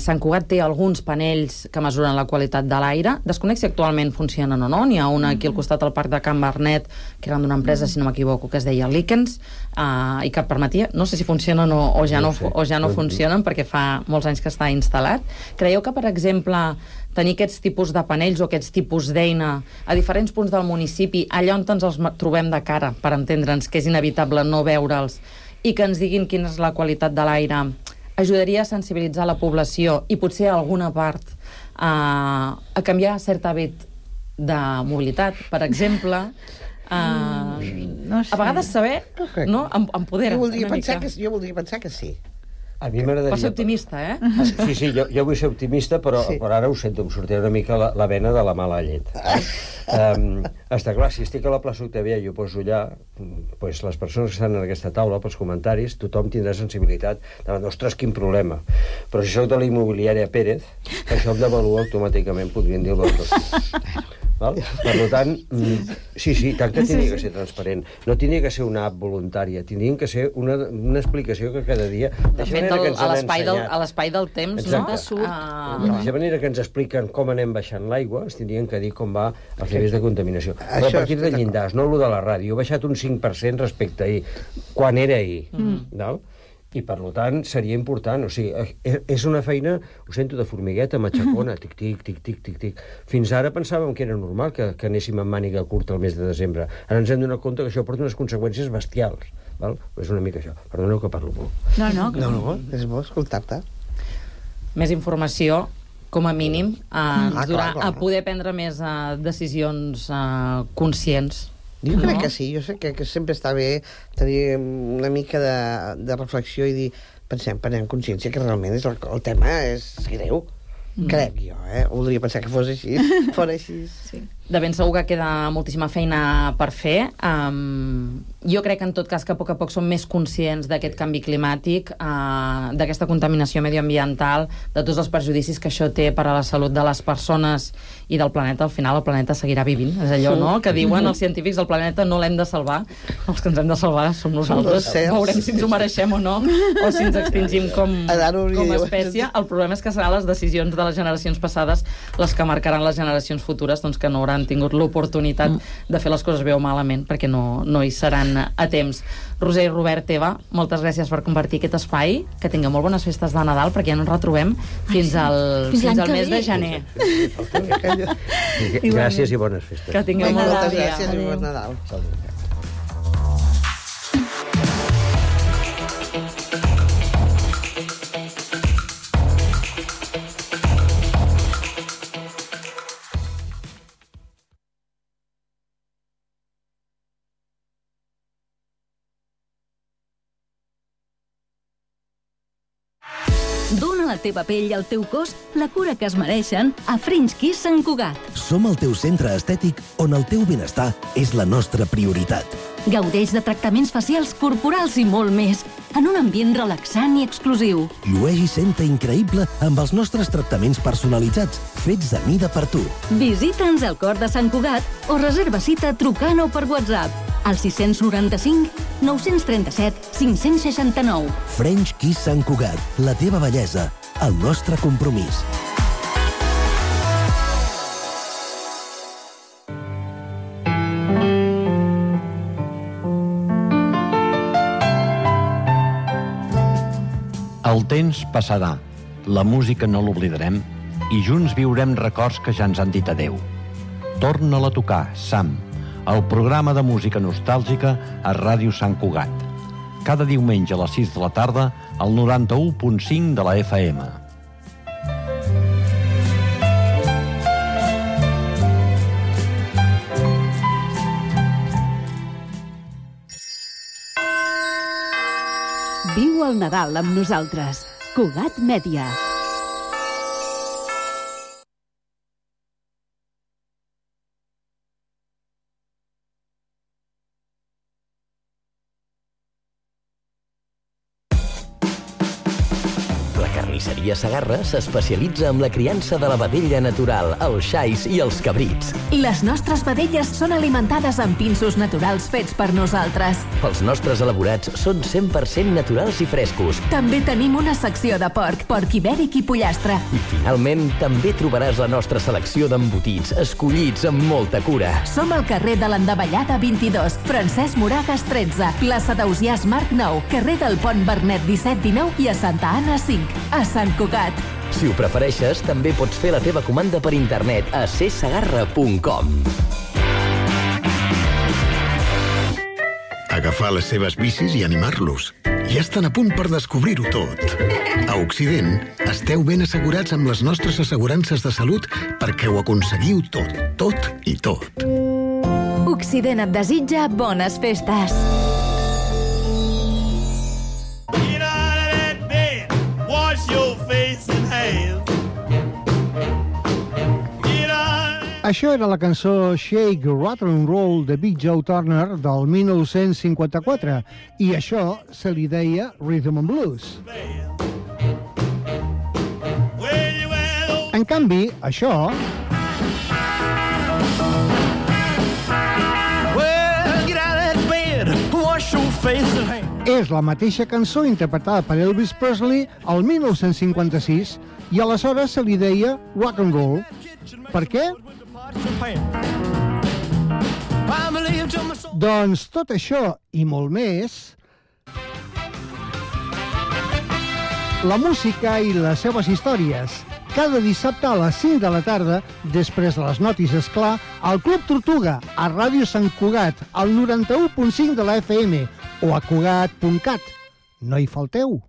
Sant Cugat té alguns panells que mesuren la qualitat de l'aire. Desconec si actualment funcionen o no. N'hi ha una aquí al costat del parc de Can Bernet, que eren d'una empresa, si no m'equivoco, que es deia Likens, i que permetia, no sé si funcionen o ja no funcionen, perquè fa molts anys que està instal·lat. Creieu que, per exemple, tenir aquests tipus de panells o aquests tipus d'eina a diferents punts del municipi, allà on ens els trobem de cara, per entendre'ns que és inevitable no veure'ls, i que ens diguin quina és la qualitat de l'aire, ajudaria a sensibilitzar la població i potser a alguna part a canviar cert hàbit de mobilitat, per exemple. A vegades saber, no?, empodera. Jo voldria pensar que sí. A mi m'agradaria... Pots ser optimista, Sí, jo vull ser optimista, però ara ho sento, em sortirà una mica la vena de la mala llet. Està clar, si estic a la plaça Octavià i ho poso allà, les persones que estan en aquesta taula, pels comentaris, tothom tindrà sensibilitat davant, ostres, quin problema. Però si soc de la immobiliària Pérez, això em devalua automàticament, podríem dir-ho tot. Per tant, sí, tant que tindria que ser transparent. No tindria que ser una app voluntària, tindria que ser una explicació que cada dia... De fet, a l'espai del temps, no? De la manera que ens expliquen com anem baixant l'aigua, ens tindrien que dir com va els nivells de contaminació. Però a partir de llindars, no el de la ràdio, he baixat un 5% respecte a ahir, quan era ahir, no? I, per tant, seria important. O sigui, és una feina, ho sento, de formigueta, matxacona, tic-tic, tic-tic, tic-tic. Fins ara pensàvem que era normal que anéssim amb màniga curta el mes de desembre. Ara ens hem donat compte que això porta unes conseqüències bestials. És una mica això. Perdoneu que parlo molt. No, és bo escoltar-te. més informació, com a mínim, clar. a poder prendre més decisions conscients. Jo crec que sí, jo sé que sempre està bé tenir una mica de reflexió i dir, prenem consciència que realment el tema és greu. Crec jo, voldria pensar que fos així, fora així. Sí. De ben segur que queda moltíssima feina per fer. Jo crec que en tot cas que a poc som més conscients d'aquest canvi climàtic, d'aquesta contaminació medioambiental, de tots els perjudicis que això té per a la salut de les persones i del planeta. Al final el planeta seguirà vivint. És allò, no?, que diuen els científics, el planeta no l'hem de salvar. Els que ens hem de salvar som nosaltres. Veurem si ens ho mereixem o no, o si ens extingim com a espècie. El problema és que seran les decisions de les generacions passades les que marcaran les generacions futures, doncs, que no hauran tingut l'oportunitat de fer les coses bé o malament, perquè no hi seran a temps. Roser i Robert, Eva, moltes gràcies per compartir aquest espai, que tingueu molt bones festes de Nadal, perquè ja no ens retrobem fins al mes de gener. Gràcies i bones festes. Que tingueu moltes gràcies i bon Nadal. Dóna a la teva pell i al teu cos la cura que es mereixen a French Kiss Sant Cugat. Som el teu centre estètic on el teu benestar és la nostra prioritat. Gaudeix de tractaments facials, corporals i molt més, en un ambient relaxant i exclusiu. Llueix i senta increïble amb els nostres tractaments personalitzats, fets a mida per tu. Visita'ns al Cor de Sant Cugat o reserva cita trucant o per WhatsApp al 695 937 569. French Kiss Sant Cugat, la teva bellesa, el nostre compromís. El temps passarà, la música no l'oblidarem i junts viurem records que ja ens han dit adeu. Torna-la a tocar, Sam, el programa de música nostàlgica a Ràdio Sant Cugat. Cada diumenge a les 6 de la tarda al 91.5 de la FM. Viu el Nadal amb nosaltres. Cugat Mèdia. Carnisseria Segarra s'especialitza en la criança de la vedella natural, els xais i els cabrits. Les nostres vedelles són alimentades amb pinsos naturals fets per nosaltres. Els nostres elaborats són 100% naturals i frescos. També tenim una secció de porc ibèric i pollastre. I finalment també trobaràs la nostra selecció d'embotits, escollits amb molta cura. Som al carrer de l'Endavellada 22, Francesc Moragas 13, plaça d'Ausiàs Marc 9, carrer del Pont Bernet 17-19 i a Santa Anna 5. A Sant Cugat. Si ho prefereixes, també pots fer la teva comanda per internet a csegarra.com. Agafar les seves bicis i animar-los. Ja estan a punt per descobrir-ho tot. A Occident, esteu ben assegurats amb les nostres assegurances de salut perquè ho aconseguiu tot, tot i tot. Occident et desitja bones festes. Això era la cançó Shake, Rattle and Roll de Big Joe Turner del 1954 i això se li deia Rhythm and Blues. En canvi, això... és la mateixa cançó interpretada per Elvis Presley al 1956 i aleshores se li deia Rock and Roll. Per què? Doncs tot això i molt més, la música i les seves històries, cada dissabte a les 5 de la tarda, després de les notícies, clar, al Club Tortuga, a Ràdio Sant Cugat, al 91.5 de la FM o a cugat.cat. No hi falteu.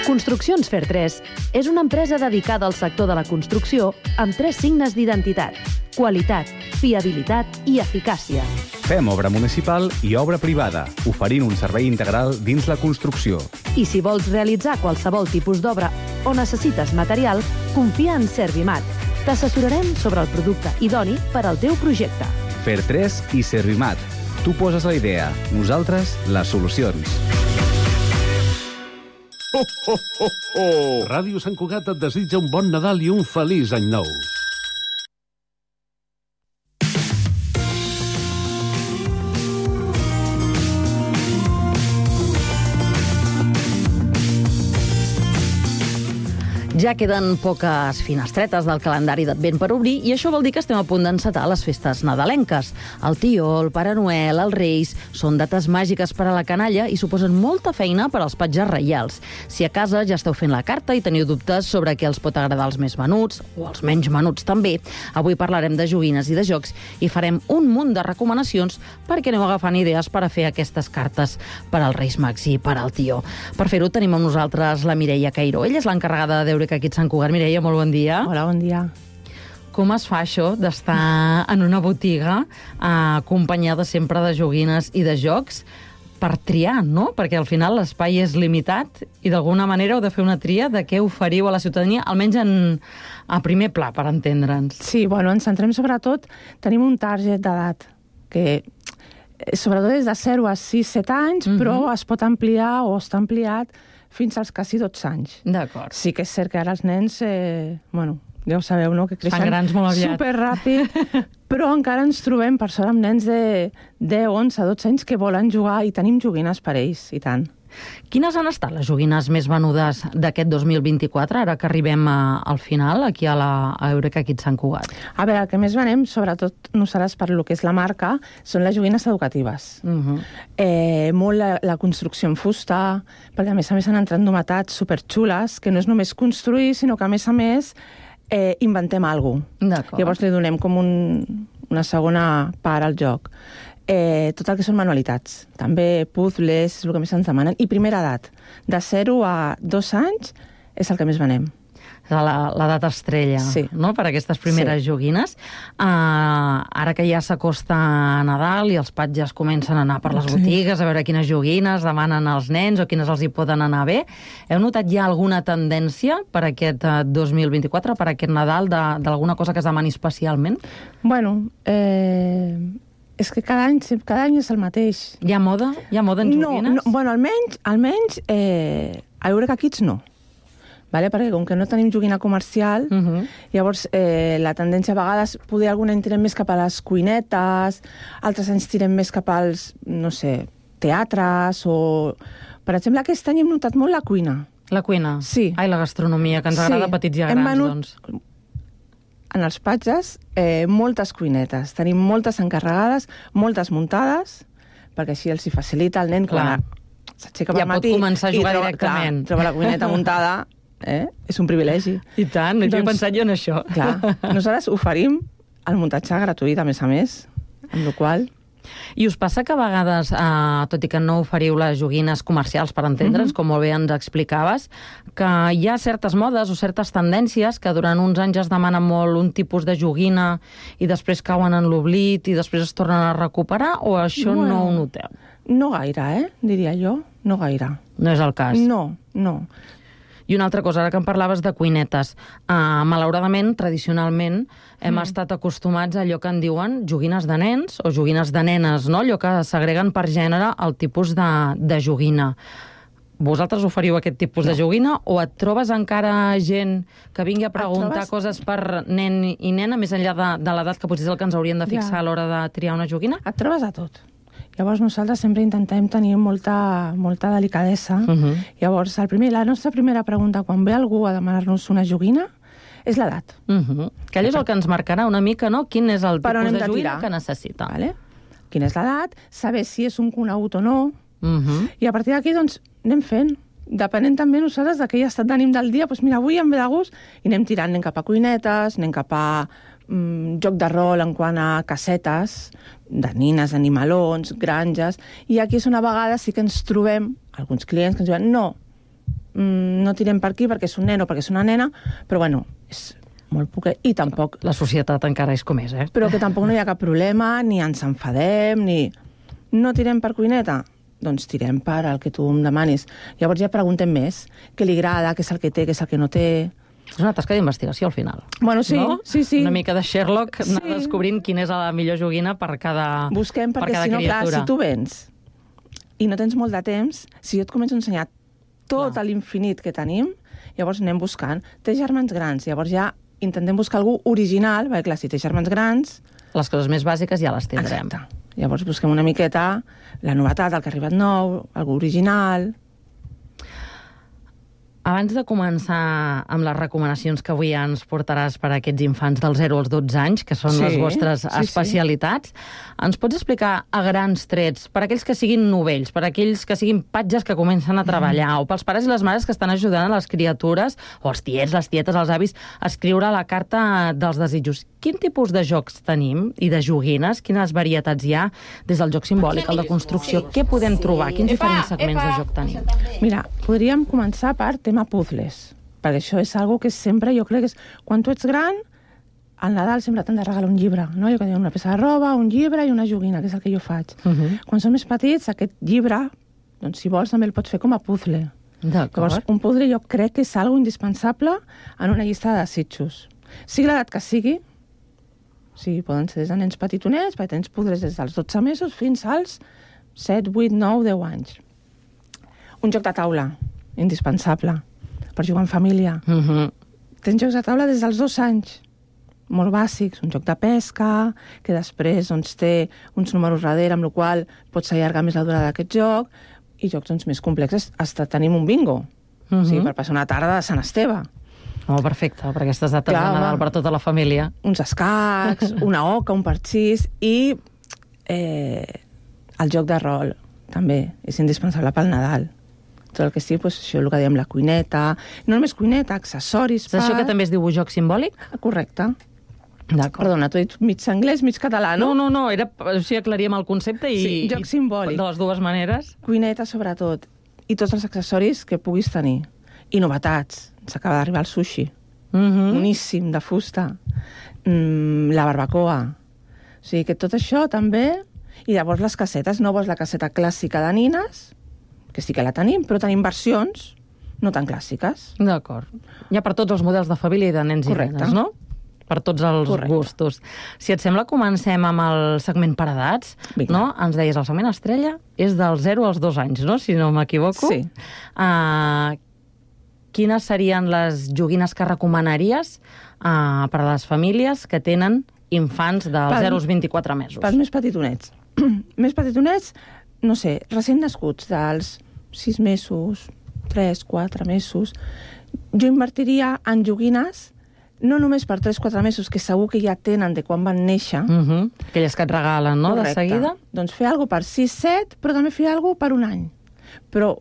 Construccions Fer 3 és una empresa dedicada al sector de la construcció amb 3 signes d'identitat: qualitat, fiabilitat i eficàcia. Fem obra municipal i obra privada, oferint un servei integral dins la construcció. I si vols realitzar qualsevol tipus d'obra o necessites material, confia en Servimat. T'assessorarem sobre el producte idoni per al teu projecte. Fer 3 i Servimat. Tu poses la idea, nosaltres les solucions. Ràdio Sant Cugat et desitja un bon Nadal i un feliç any nou. Ja queden poques finestretes del calendari d'Advent per obrir i això vol dir que estem a punt d'encetar les festes nadalenques. El Tió, el Pare Noel, els Reis són dates màgiques per a la canalla i suposen molta feina per als patges reials. Si a casa ja esteu fent la carta i teniu dubtes sobre què els pot agradar als més menuts, o als menys menuts també, avui parlarem de joguines i de jocs i farem un munt de recomanacions perquè aneu agafant idees per a fer aquestes cartes per als Reis Mags i per al Tió. Per fer-ho tenim amb nosaltres la Mireia Cairó. Ella és l'encarregada de Eureka aquí a Sant Cugat. Mireia, molt bon dia. Hola, bon dia. Com es fa això d'estar en una botiga acompanyada sempre de joguines i de jocs per triar, no? Perquè al final l'espai és limitat i d'alguna manera heu de fer una tria de què oferiu a la ciutadania, almenys a primer pla, per entendre'ns. Sí, bueno, ens centrem sobretot, tenim un target d'edat que sobretot és de 0 a 6-7 anys, però es pot ampliar o està ampliat fins als quasi 12 anys. D'acord. Sí que és cert que ara els nens, bueno, ja ho sabeu, no?, que creixen grans molt aviat. superràpid, però encara ens trobem, per sort, amb nens de 10, 11, 12 anys que volen jugar i tenim joguines per ells, i tant. Quines han estat les joguines més venudes d'aquest 2024, ara que arribem al final, aquí a Eureka aquí a Sant Cugat? A veure, el que més venem, sobretot nosaltres per lo que és la marca, són les joguines educatives. Molt la construcció en fusta, perquè a més han entrat novetats superxules, que no és només construir, sinó que a més inventem alguna cosa. Llavors li donem com una segona part al joc. Tot el que són manualitats, també puzzles, és el que més ens demanen, i primera edat, de 0 a 2 anys és el que més venem. L'edat estrella, no?, per aquestes primeres joguines. Ara que ja s'acosta Nadal i els patges comencen a anar per les botigues a veure quines joguines demanen als nens o quines els hi poden anar bé, heu notat ja alguna tendència per aquest 2024, per aquest Nadal, d'alguna cosa que es demani especialment? Bueno, és que cada any és el mateix. Hi ha moda? Hi ha moda en joguines? No, bueno, almenys a Eureka Kids no. Perquè com que no tenim joguina comercial, llavors la tendència a vegades, poder alguna any tirem més cap a les cuinetes, altres anys tirem més cap als, no sé, teatres o... Per exemple, aquest any hem notat molt la cuina. La cuina? Sí. Ai, la gastronomia, que ens agrada petits i grans, doncs. En els patges, moltes cuinetes. Tenim moltes encarregades, moltes muntades, perquè així els hi facilita el nen quan s'aixeca per matí. Ja pot començar a jugar directament. Troba la cuineta muntada, és un privilegi. I tant, no he pensat jo en això. Clar, nosaltres oferim el muntatge gratuït, a més, amb la qual... I us passa que a vegades, tot i que no oferiu les joguines comercials per entendre'ns, com molt bé ens explicaves, que hi ha certes modes o certes tendències que durant uns anys es demana molt un tipus de joguina i després cauen en l'oblit i després es tornen a recuperar, o això no ho noteu? No gaire, diria jo. No gaire. No és el cas? No. I una altra cosa, ara que em parlaves de cuinetes, malauradament, tradicionalment, hem estat acostumats a allò que en diuen joguines de nens o joguines de nenes, no? Allò que s'agreguen per gènere al tipus de joguina. Vosaltres oferiu aquest tipus de joguina o et trobes encara gent que vingui a preguntar coses per nen i nena, més enllà de l'edat que potser és el que ens haurien de fixar a l'hora de triar una joguina? Et trobes a tot. Llavors nosaltres sempre intentem tenir molta delicadesa. Llavors la nostra primera pregunta quan ve algú a demanar-nos una joguina és l'edat. Que allò és el que ens marcarà una mica, no? Quin és el tipus de joguina que necessita. Quina és l'edat, saber si és un conegut o no, i a partir d'aquí doncs anem fent. Depenent també nosaltres de aquell estat d'ànim del dia, doncs mira, avui em ve de gust i anem tirant, anem cap a cuinetes, anem cap a joc de rol en quant a casetes, de nines, animalons, granges, i aquí és una vegada sí que ens trobem alguns clients que ens diuen no, no tirem per aquí perquè és un nen o perquè és una nena, però bueno, és molt poquet, i tampoc... La societat encara és com és, Però que tampoc no hi ha cap problema, ni ens enfadem, ni... No tirem per cuineta? Doncs tirem per el que tu em demanis. Llavors ja preguntem més, què li agrada, què és el que té, què és el que no té... És una tasca d'investigació, al final. Bueno, sí, no? sí. Una mica de Sherlock, anar descobrint quina és la millor joguina per cada criatura. Busquem, perquè si no, clar, si tu vens i no tens molt de temps, si jo et començo a ensenyar tot l'infinit que tenim, llavors anem buscant. Té germans grans, llavors ja intentem buscar algú original, perquè clar, si té germans grans... Les coses més bàsiques ja les tindrem. Exacte. Llavors busquem una miqueta la novetat, el que ha arribat nou, algú original... Abans de començar amb les recomanacions que avui ens portaràs per a aquests infants dels 0 als 12 anys, que són les vostres especialitats, ens pots explicar a grans trets, per aquells que siguin novells, per aquells que siguin patges que comencen a treballar, o pels pares i les mares que estan ajudant a les criatures, o els tiets, les tietes, els avis, a escriure la carta dels desitjos. Quin tipus de jocs tenim i de joguines? Quines varietats hi ha des del joc simbòlic, el de construcció? Què podem trobar? Quins diferents segments de joc tenim? Mira, podríem començar per tema puzzles, perquè això és algo que sempre, jo crec que és... Quan tu ets gran, al Nadal sempre t'han de regalar un llibre, no? Jo que dic, una peça de roba, un llibre i una joguina, que és el que jo faig. Quan són més petits, aquest llibre, doncs si vols també el pots fer com a puzzle. Llavors, un puzzle jo crec que és algo indispensable en una llista de desitjos. Sigui l'edat que sigui, sí, poden ser des de nens petitonets, perquè tens puzzles des dels 12 mesos fins als 7, 8, 9, 10 anys. Un joc de taula, indispensable, per jugar en família. Tens jocs de taula des dels 2 anys, molt bàsics, un joc de pesca, que després doncs, té uns números darrere, amb la qual pots allargar més la durada d'aquest joc, i jocs doncs, més complexes. Hasta tenim un bingo, sí, per passar una tarda de Sant Esteve. Oh, perfecte, per aquestes dates de Nadal per tota la família. Uns escacs, una oca, un parxís i el joc de rol, també, és indispensable pel Nadal. Tot el que sigui, doncs, això, el que dèiem, la cuineta, no només cuineta, accessoris... És això que també es diu joc simbòlic? Correcte. Perdona, t'ho he dit mig anglès, mig català, no? No, era així aclaríem el concepte i... Sí, joc simbòlic. De les dues maneres. Cuineta, sobretot, i tots els accessoris que puguis tenir. I novetats. S'acaba d'arribar el sushi. Boníssim, de fusta. La barbacoa. O sigui que tot això també... I llavors les cassetes, no vols la casseta clàssica de nines, que sí que la tenim, però tenim versions no tan clàssiques. D'acord. Hi ha per tots els models de família i de nens i nenes, no? Per tots els gustos. Si et sembla, comencem amb el segment per edats, no? Ens deies, el segment estrella és dels 0 als 2 anys, no? Si no m'equivoco. Sí. Quines serien les joguines que recomanaries per a les famílies que tenen infants dels 0 als 24 mesos? Pels més petitonets. Més petitonets, no sé, recent nascuts, dels 6 mesos, 3, 4 mesos. Jo invertiria en joguines no només per 3-4 mesos, que segur que ja tenen de quan van néixer. Aquelles que et regalen, no?, de seguida. Doncs fer alguna per 6-7, però també fer alguna per un any. Però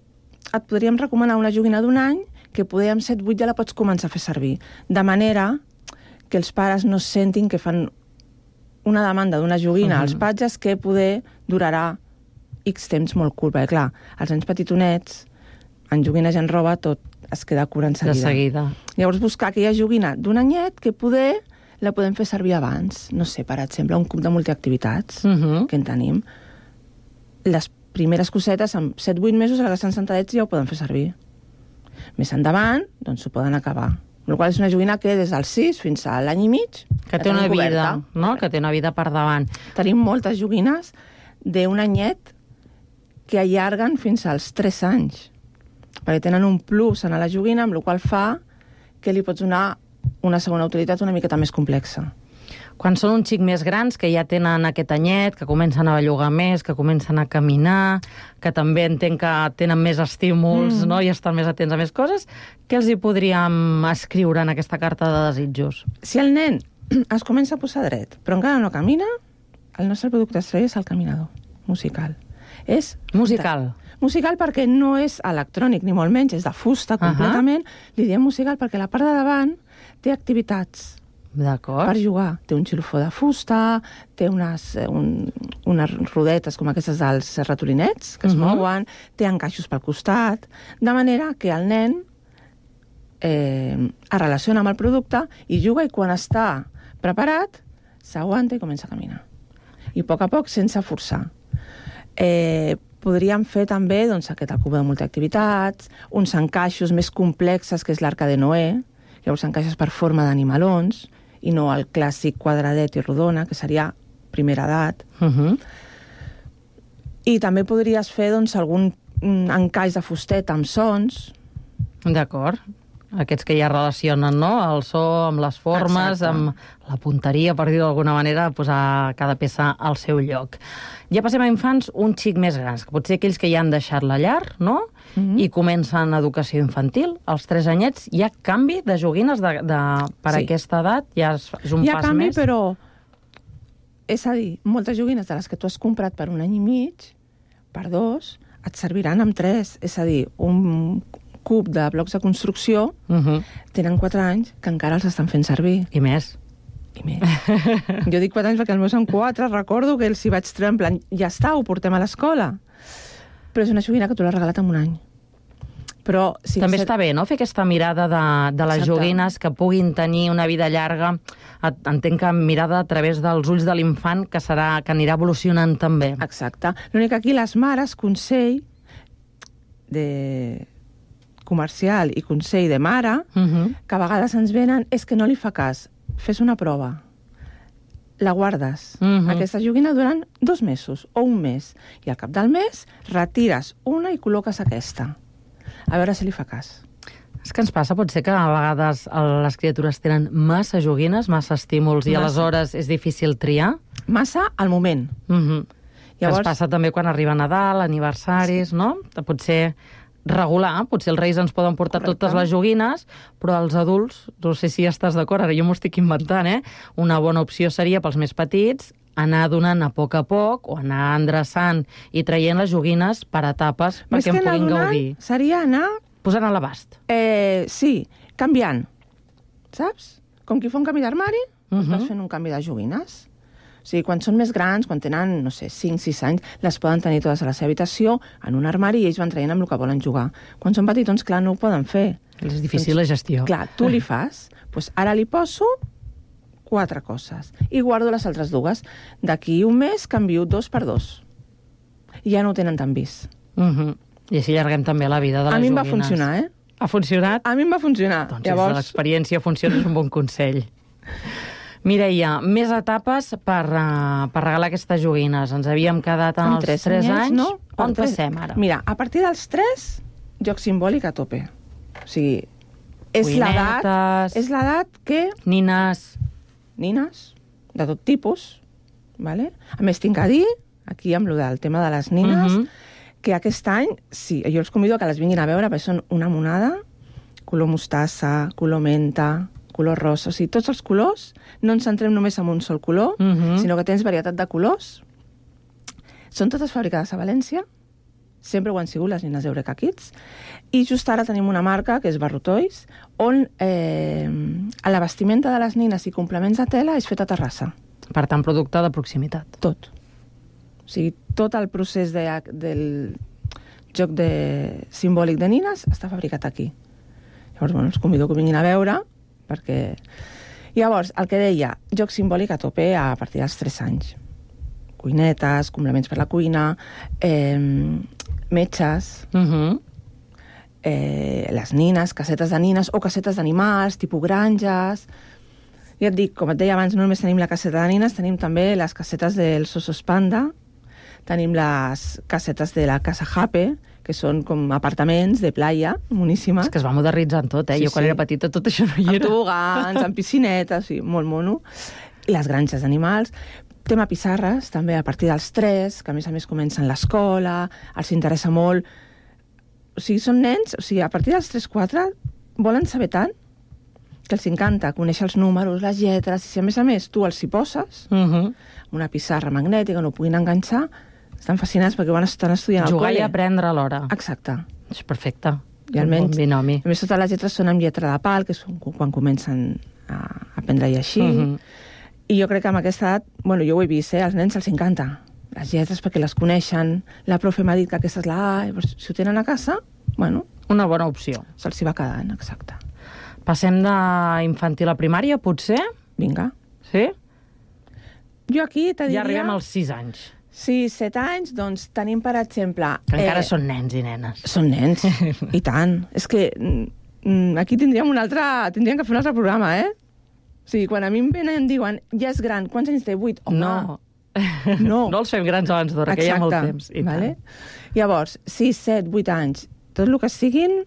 et podríem recomanar una joguina d'un any que poder amb 7-8 ja la pots començar a fer servir. De manera que els pares no sentin que fan una demanda d'una joguina als patges que poder durarà X temps molt curt. Perquè, clar, els nens petitonets, en joguines i en roba, tot es queda cura en seguida. De seguida. Llavors, buscar aquella joguina d'un anyet que poder la podem fer servir abans. No sé, per exemple, un club de multiactivitats que en tenim. Les primeres cosetes, amb 7-8 mesos, a la que estan sentadets ja ho poden fer servir. Més endavant, doncs ho poden acabar. El qual és una joguina que des dels 6 fins a l'any i mig... Que té una vida, no? Que té una vida per davant. Tenim moltes joguines d'un anyet que allarguen fins als 3 anys. Perquè tenen un plus en la joguina, amb el qual fa que li pots donar una segona utilitat una miqueta més complexa. Quan són un xic més grans, que ja tenen aquest anyet, que comencen a bellugar més, que comencen a caminar, que també entenc que tenen més estímuls, no?, i estan més atents a més coses, què els hi podríem escriure en aquesta carta de desitjos? Si el nen es comença a posar dret, però encara no camina, el nostre producte estrella és el caminador musical. És musical? Musical perquè no és electrònic, ni molt menys, és de fusta completament. Li diem musical perquè la part de davant té activitats. D'acord. Per jugar. Té un xilofó de fusta, té unes rodetes com aquestes dels ratolinets que es mouen, té encaixos pel costat, de manera que el nen es relaciona amb el producte i juga, i quan està preparat s'aguanta i comença a caminar. I a poc, sense forçar. Podríem fer també aquest el cub de multiactivitats, uns encaixos més complexes, que és l'Arca de Noé. Llavors encaixes per forma d'animalons i no el clàssic quadradet i rodona, que seria primera edat. I també podries fer algun encaix de fusteta amb sons. D'acord. Aquests que ja relacionen, no?, el so amb les formes, amb la punteria, per dir-ho d'alguna manera, posar cada peça al seu lloc. Ja passem a infants un xic més grans, que potser aquells que ja han deixat la llar, no?, i comencen educació infantil. Als 3 anyets hi ha canvi de joguines per aquesta edat? Ja és un pas més? Hi ha canvi, però... És a dir, moltes joguines de les que tu has comprat per 1 any i mig, per 2, et serviran amb 3. És a dir, un cub de blocs de construcció tenen 4 anys que encara els estan fent servir. I més. Jo dic 4 anys perquè els meus són 4, recordo que els hi vaig treure en plan, ja està, ho portem a l'escola. Però és una joguina que tu l'has regalat en 1 any. Però també està bé, no?, fer aquesta mirada de les joguines que puguin tenir una vida llarga. Entenc que mirada a través dels ulls de l'infant, que anirà evolucionant també. Exacte. L'únic que aquí les mares, consell comercial i consell de mare, que a vegades ens venen, és que no li fa cas. Fes una prova. La guardes. Aquesta joguina durant 2 mesos o 1 mes. I al cap del mes retires una i col·loques aquesta. A veure si li fa cas. És que ens passa, pot ser que a vegades les criatures tenen massa joguines, massa estímuls, i aleshores és difícil triar? Massa al moment. Ens passa també quan arriba Nadal, aniversaris, no? Potser regular, potser els reis ens poden portar totes les joguines, però els adults, no sé si estàs d'acord, ara jo m'ho estic inventant, una bona opció seria pels més petits anar donant a poc o anar endreçant i traient les joguines per etapes perquè en puguin gaudir. Seria anar... Posant a l'abast. Sí, canviant, saps? Com qui fa un canvi d'armari, vas fent un canvi de joguines. O sigui, quan són més grans, quan tenen, no sé, 5-6 anys, les poden tenir totes a la seva habitació, en un armari, i ells van traient amb el que volen jugar. Quan són petitons, clar, no ho poden fer. És difícil la gestió. Clar, tu li fas, doncs ara li poso 4 coses i guardo les altres 2. D'aquí 1 mes canvio 2 per 2. I ja no ho tenen tan vist. I així allarguem també la vida de les joguines. A mi em va funcionar, Ha funcionat? A mi em va funcionar. Doncs llavors... l'experiència funciona, és un bon consell. Mireia, més etapes per regalar aquestes joguines. Ens havíem quedat en els 3 anys. No? On passem ara? Mira, a partir dels 3, joc simbòlic a tope. O sigui, és l'edat que... Nines, de tot tipus. Vale? A més, tinc a dir, aquí amb el tema de les nines, que aquest any, sí, jo els convido a que les vinguin a veure, perquè són una monada, color mostassa, color menta, color rosa, o sigui, tots els colors, no ens centrem només en un sol color, sinó que tens varietat de colors. Són totes fabricades a València, sempre ho han sigut les nines Eureka Kids, i just ara tenim una marca, que és Barrotois, on la vestimenta de les nines i complements de tela és fet a Terrassa. Per tant, producte de proximitat. Tot. O sigui, tot el procés del joc simbòlic de nines està fabricat aquí. Llavors, bueno, els convido que vinguin a veure, perquè... Llavors, el que deia, joc simbòlic a tope a partir dels 3 anys. Cuinetes, complements per la cuina, metges, les nines, casetes de nines o casetes d'animals, tipus granges... Ja et dic, com et deia abans, no només tenim la caseta de nines, tenim també les casetes dels osos panda, tenim les casetes de la Casa Jape, que són com apartaments de playa, moníssimes. És que es va modernitzant tot, Jo quan era petita tot això no hi era. Amb tobogans, amb piscinetes, molt mono. I les granges d'animals. Tema pissarres, també a partir dels 3, que a més comencen l'escola, els interessa molt. O sigui, són nens, o sigui, a partir dels 3-4 volen saber tant que els encanta conèixer els números, les lletres, i si a més tu els hi poses, una pissarra magnètica, no ho puguin enganxar, estan fascinats perquè estan estudiant al col·le. Jugar i aprendre alhora. Exacte. És perfecte. I almenys, un binomi. A més, totes les lletres són amb lletra de pal, que és quan comencen a aprendre-hi així. I jo crec que amb aquesta edat, bueno, jo ho he vist, als nens els encanta. Les lletres perquè les coneixen, la profe m'ha dit que aquesta és la A, llavors, si ho tenen a casa, bueno... Una bona opció. Se'ls hi va quedant, exacte. Passem d'infantil a primària, potser? Vinga. Sí? Jo aquí te diria... Ja arribem als 6 anys. 6-7 anys, doncs tenim, per exemple... Que encara són nens i nenes. Són nens, i tant. És que aquí tindríem tindríem que fer un altre programa, eh? O sigui, quan a mi em venen i em diuen, ja és gran, quants anys té? 8? Home, no. No els fem grans abans d'hora, que hi ha molt temps. Vale? Llavors, 6, 7, 8 anys, tot el que siguin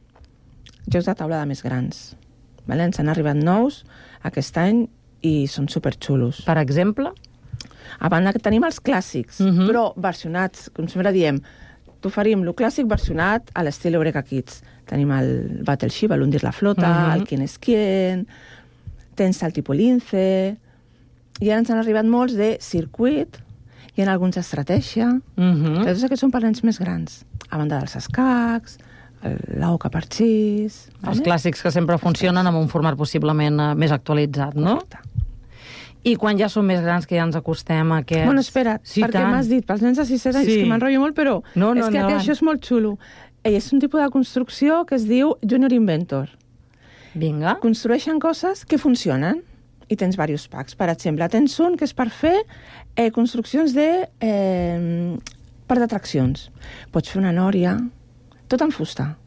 jocs de taula de més grans. Vale? Ens han arribat nous aquest any i són superxulos. Per exemple? A banda que tenim els clàssics, però versionats, com sempre diem, t'oferim el clàssic versionat a l'estil Eureka Kids. Tenim el Battleship, l'Hundir la flota, el Quién és quién, tens el Tipo Lince, i ara ens han arribat molts de circuit, hi ha alguns d'estratègia, que tots aquests són per nens més grans, a banda dels escacs, l'Oca Parxís... Els clàssics que sempre funcionen amb un format possiblement més actualitzat, no? Correcte. I quan ja són més grans, que ja ens acostem a aquests... Bueno, espera't, perquè m'has dit, pels nens de 6 anys, que m'enrotllo molt, però és que això és molt xulo. És un tipus de construcció que es diu Junior Inventor. Vinga. Construeixen coses que funcionen i tens diversos packs. Per exemple, tens un que és per fer construccions per d'atraccions. Pots fer una nòria, tot en fusta.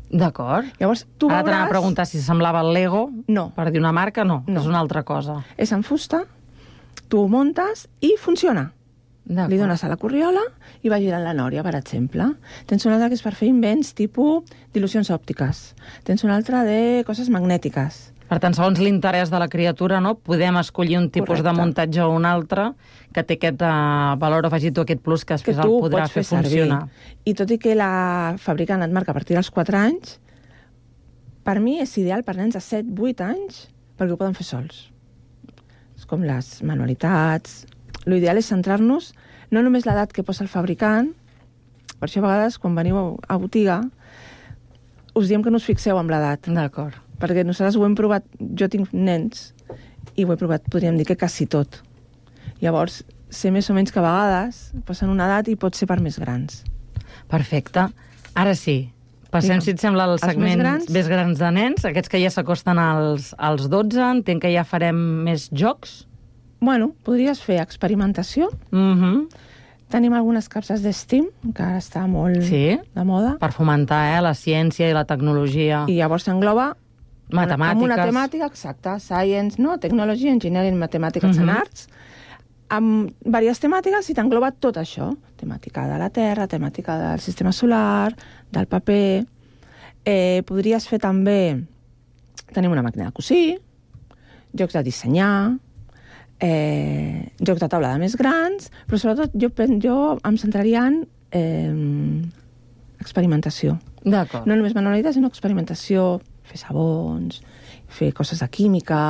D'acord. Llavors, tu ara t'anava a preguntar si semblava el Lego. No. Per dir una marca, no. És una altra cosa. És en fusta, tu ho muntes i funciona. Li dones a la corriola i va girant la nòria, per exemple. Tens una altra que és per fer invents tipus d'il·lusions òptiques. Tens una altra de coses magnètiques. Per tant, segons l'interès de la criatura, no, podem escollir un tipus de muntatge o un altre que té aquest valor afegit o aquest plus que després el podrà fer funcionar. I tot i que la fabricant et marca a partir dels 4 anys, per mi és ideal per nens de 7-8 anys perquè ho poden fer sols. És com les manualitats... L'ideal és centrar-nos no només l'edat que posa el fabricant, per això a vegades quan veniu a botiga us diem que no us fixeu en l'edat. D'acord. Perquè nosaltres ho hem provat, jo tinc nens i ho he provat, podríem dir que quasi tot. Llavors, sé més o menys que a vegades passen una edat i pot ser per més grans. Perfecte. Ara sí, passem, si et sembla, al segment més grans de nens, aquests que ja s'acosten als 12, entenc que ja farem més jocs. Bueno, podries fer experimentació. Tenim algunes capses d'STEAM, que ara està molt de moda. Per fomentar la ciència i la tecnologia. I llavors s'engloba matemàtiques. Amb una temàtica, exacta, science, no? Technology, engineering, mathematics and arts, amb diverses temàtiques i t'engloba tot això. Temàtica de la Terra, temàtica del sistema solar, del paper. Podries fer també... Tenim una màquina de cosir, jocs de dissenyar, jocs de taula de més grans, però sobretot jo em centraria en experimentació. D'acord. No només manualitat, sinó experimentació, fer sabons, fer coses de química...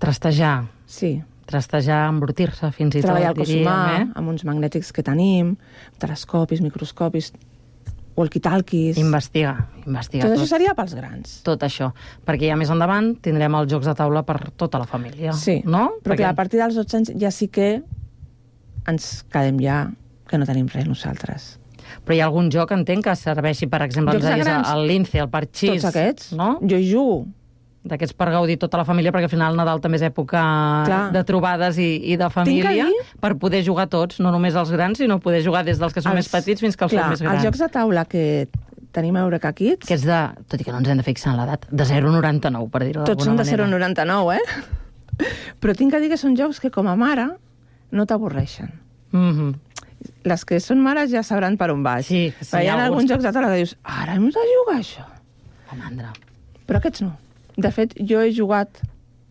Trastejar. Sí. Trastejar, embrutir-se, fins i tot, treballar el cos humà, diríem, amb uns magnètics que tenim, telescopis, microscopis, walkie-talkies... Investigar. Tot això seria pels grans. Tot això. Perquè ja més endavant tindrem els jocs de taula per tota la família. Sí, no? Però clar, a partir dels 12 anys ja sí que ens quedem ja que no tenim res nosaltres. Però hi ha algun joc, entenc, que serveixi, per exemple, el Lince, el Parxís. Tots aquests. No? Jo hi jugo. D'aquests per gaudir tota la família, perquè al final el Nadal també és època de trobades i de família, per poder jugar tots, no només els grans, sinó poder jugar des dels que són més petits fins que els són més grans. Els jocs de taula que tenim a Eureka Kids... Que és de, tot i que no ens hem de fixar en l'edat, de 0,99, per dir-ho d'alguna manera. Tots són de 0,99, Però tinc que dir que són jocs que com a mare no t'avorreixen. Les que són mares ja sabran per on vaig. Sí, hi ha alguns jocs de taula que dius, ara hem de jugar això. La mandra. Però aquests no. De fet, jo he jugat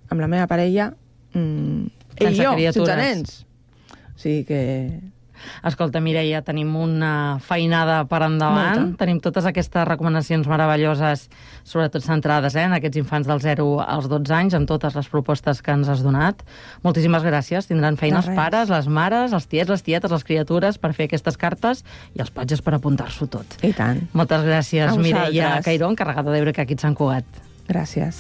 amb la meva parella sense nens. O sigui que... Escolta, Mireia, tenim una feinada per endavant. Tenim totes aquestes recomanacions meravelloses, sobretot centrades en aquests infants del 0 als 12 anys, amb totes les propostes que ens has donat. Moltíssimes gràcies. Tindran feina els pares, les mares, els tiets, les tietes, les criatures, per fer aquestes cartes i els patges per apuntar-s'ho tot. I tant. Moltes gràcies, Mireia Cairó, encarregada d'Eureka Kids Sant Cugat. Gràcies.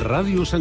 Ràdio Sant